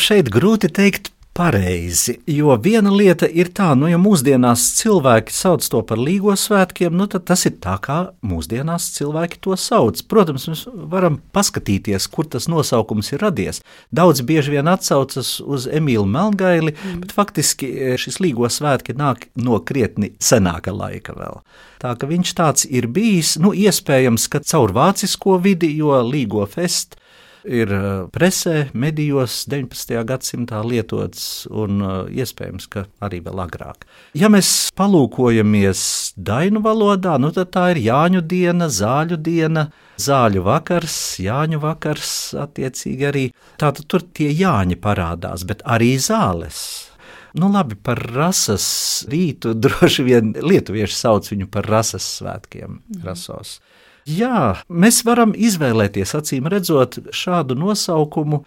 [SPEAKER 5] Šeit grūti teikt pareizi, jo viena lieta ir tā, ja mūsdienās cilvēki sauc to par līgo svētkiem, tad tas ir tā, kā mūsdienās cilvēki to sauc. Protams, mēs varam paskatīties, kur tas nosaukums ir radies. Daudz bieži vien atsaucas uz Emīlu Melngaili, bet faktiski šis līgo svētki nāk no krietni senāka laika vēl. Tā ka viņš tāds ir bijis, iespējams, ka caur vācisko vidi, jo līgo fest ir presē, medijos 19. gadsimtā lietots un iespējams, ka arī vēl agrāk. Ja mēs palūkojamies dainu valodā, tad tā ir Jāņu diena, zāļu diena, zāļu vakars, Jāņu vakars attiecīgi arī. Tātad tur tie Jāņi parādās, bet arī zāles. Labi, par rases rītu droši vien lietuvieši sauc viņu par rases svētkiem, rasos. Jā, mēs varam izvēlēties, acīm redzot, šādu nosaukumu.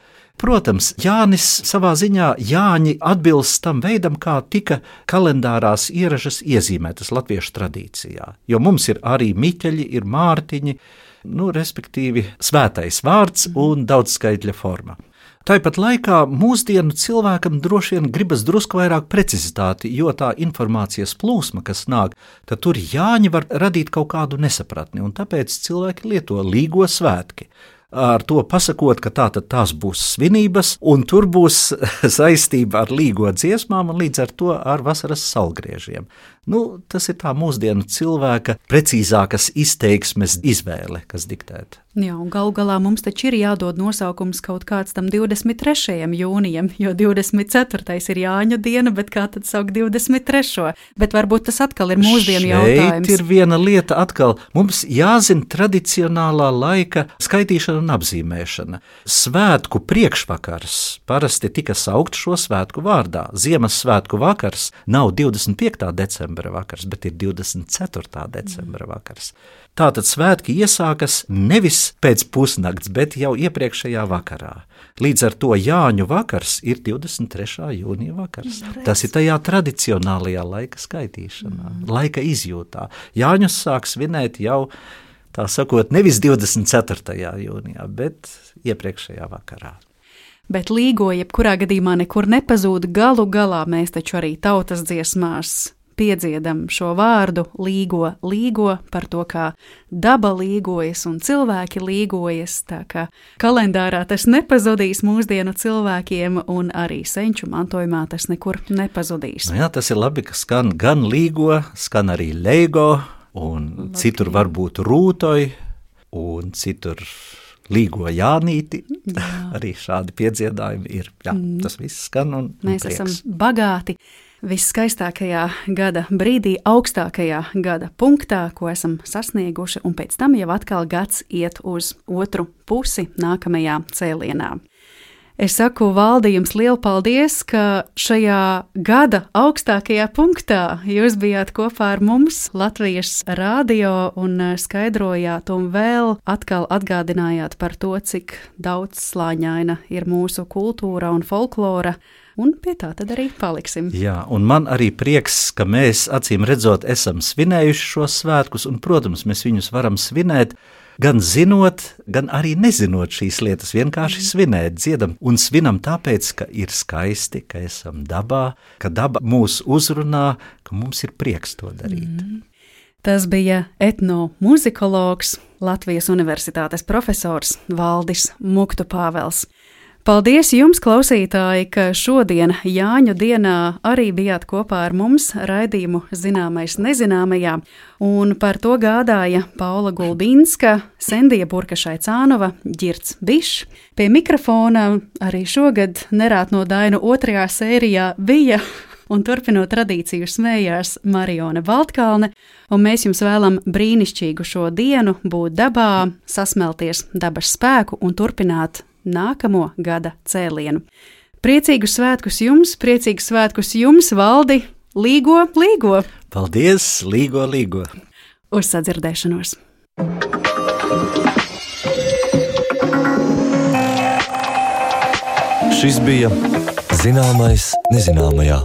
[SPEAKER 5] Protams, Jānis savā ziņā Jāņi atbilst tam veidam, kā tika kalendārās ieražas iezīmētas latviešu tradīcijā. Jo mums ir arī Miķeļi, ir Mārtiņi, respektīvi svētais vārds un daudzskaitļa forma. Tāpat laikā mūsdienu cilvēkam droši vien gribas drusku vairāk precizitāti, jo tā informācijas plūsma, kas nāk, tad tur Jāņi var radīt kaut kādu nesapratni, un tāpēc cilvēki lieto līgo svētki. Ar to pasakot, ka tās būs svinības, un tur būs saistība ar līgo dziesmām un līdz ar to ar vasaras saulgriežiem. Tas ir tā mūsdienu cilvēka precīzākas izteiksmes izvēle, kas diktēta.
[SPEAKER 2] Jā, un galu galā mums taču ir jādod nosaukums kaut kāds tam 23. jūnijam, jo 24. ir Jāņu diena, bet kā tad saukt 23. Bet varbūt tas atkal ir mūsdienu jautājums.
[SPEAKER 5] Šeit ir viena lieta atkal. Mums jāzina tradicionālā laika skaitīšana un apzīmēšana. Svētku priekšvakars parasti tika saukt šo svētku vārdā. Ziemassvētku vakars nav 25. decembra vakars, bet ir 24. decembra vakars. Tātad svētki iesākas nevis pēc pusnakts, bet jau iepriekšējā vakarā. Līdz ar to Jāņu vakars ir 23. jūnija vakars. Tas ir tajā tradicionālajā laika skaitīšanā, laika izjūtā. Jāņus sāk svinēt jau, tā sakot, nevis 24. jūnijā, bet iepriekšējā vakarā.
[SPEAKER 2] Bet līgo jebkurā gadījumā nekur nepazūd. Galu galā mēs taču arī tautas dziesmās piedziedam šo vārdu līgo par to, kā daba līgojas un cilvēki līgojas, tā kā kalendārā tas nepazudīs mūsdienu cilvēkiem un arī senču mantojumā tas nekur nepazudīs.
[SPEAKER 5] Jā, tas ir labi, ka skan gan līgo, skan arī leigo un citur varbūt rūtoj un citur līgo Jānīti. Jā. Arī šādi piedziedājumi ir. Jā, tas viss skan un
[SPEAKER 2] mēs
[SPEAKER 5] prieks.
[SPEAKER 2] Esam bagāti. Viskaistākajā gada brīdī, augstākajā gada punktā, ko esam sasnieguši, un pēc tam jau atkal gads iet uz otru pusi nākamajā cēlienā. Es saku, Valdi, jums lielu paldies, ka šajā gada augstākajā punktā jūs bijāt kopā ar mums Latvijas radio un skaidrojāt un vēl atkal atgādinājāt par to, cik daudzslāņaina ir mūsu kultūra un folklora. Un pie tā tad arī paliksim.
[SPEAKER 5] Jā, un man arī prieks, ka mēs, acīm redzot, esam svinējuši šos svētkus, un, protams, mēs viņus varam svinēt, gan zinot, gan arī nezinot šīs lietas, vienkārši svinēt, dziedam un svinam tāpēc, ka ir skaisti, ka esam dabā, ka daba mūs uzrunā, ka mums ir prieks to darīt.
[SPEAKER 2] Tas bija etnomuzikologs, Latvijas Universitātes profesors Valdis Muktu Pāvels. Paldies jums, klausītāji, ka šodien Jāņu dienā arī bijāt kopā ar mums raidījumu Zināmais nezināmajā, un par to gādāja Paula Gulbinska, Sendija Burkašai-Cānova, Ģirds Bišs. Pie mikrofona arī šogad Nerāt no Dainu 2. sērijā bija un turpinot tradīciju smējās Marione Baltkalne, un mēs jums vēlam brīnišķīgu šo dienu, būt dabā, sasmelties dabas spēku un turpināt nākamo gada cēlienu. Priecīgus svētkus jums, Valdi! Līgo!
[SPEAKER 5] Paldies! Līgo!
[SPEAKER 2] Uz sadzirdēšanos!
[SPEAKER 1] Šis bija Zināmais nezināmajā.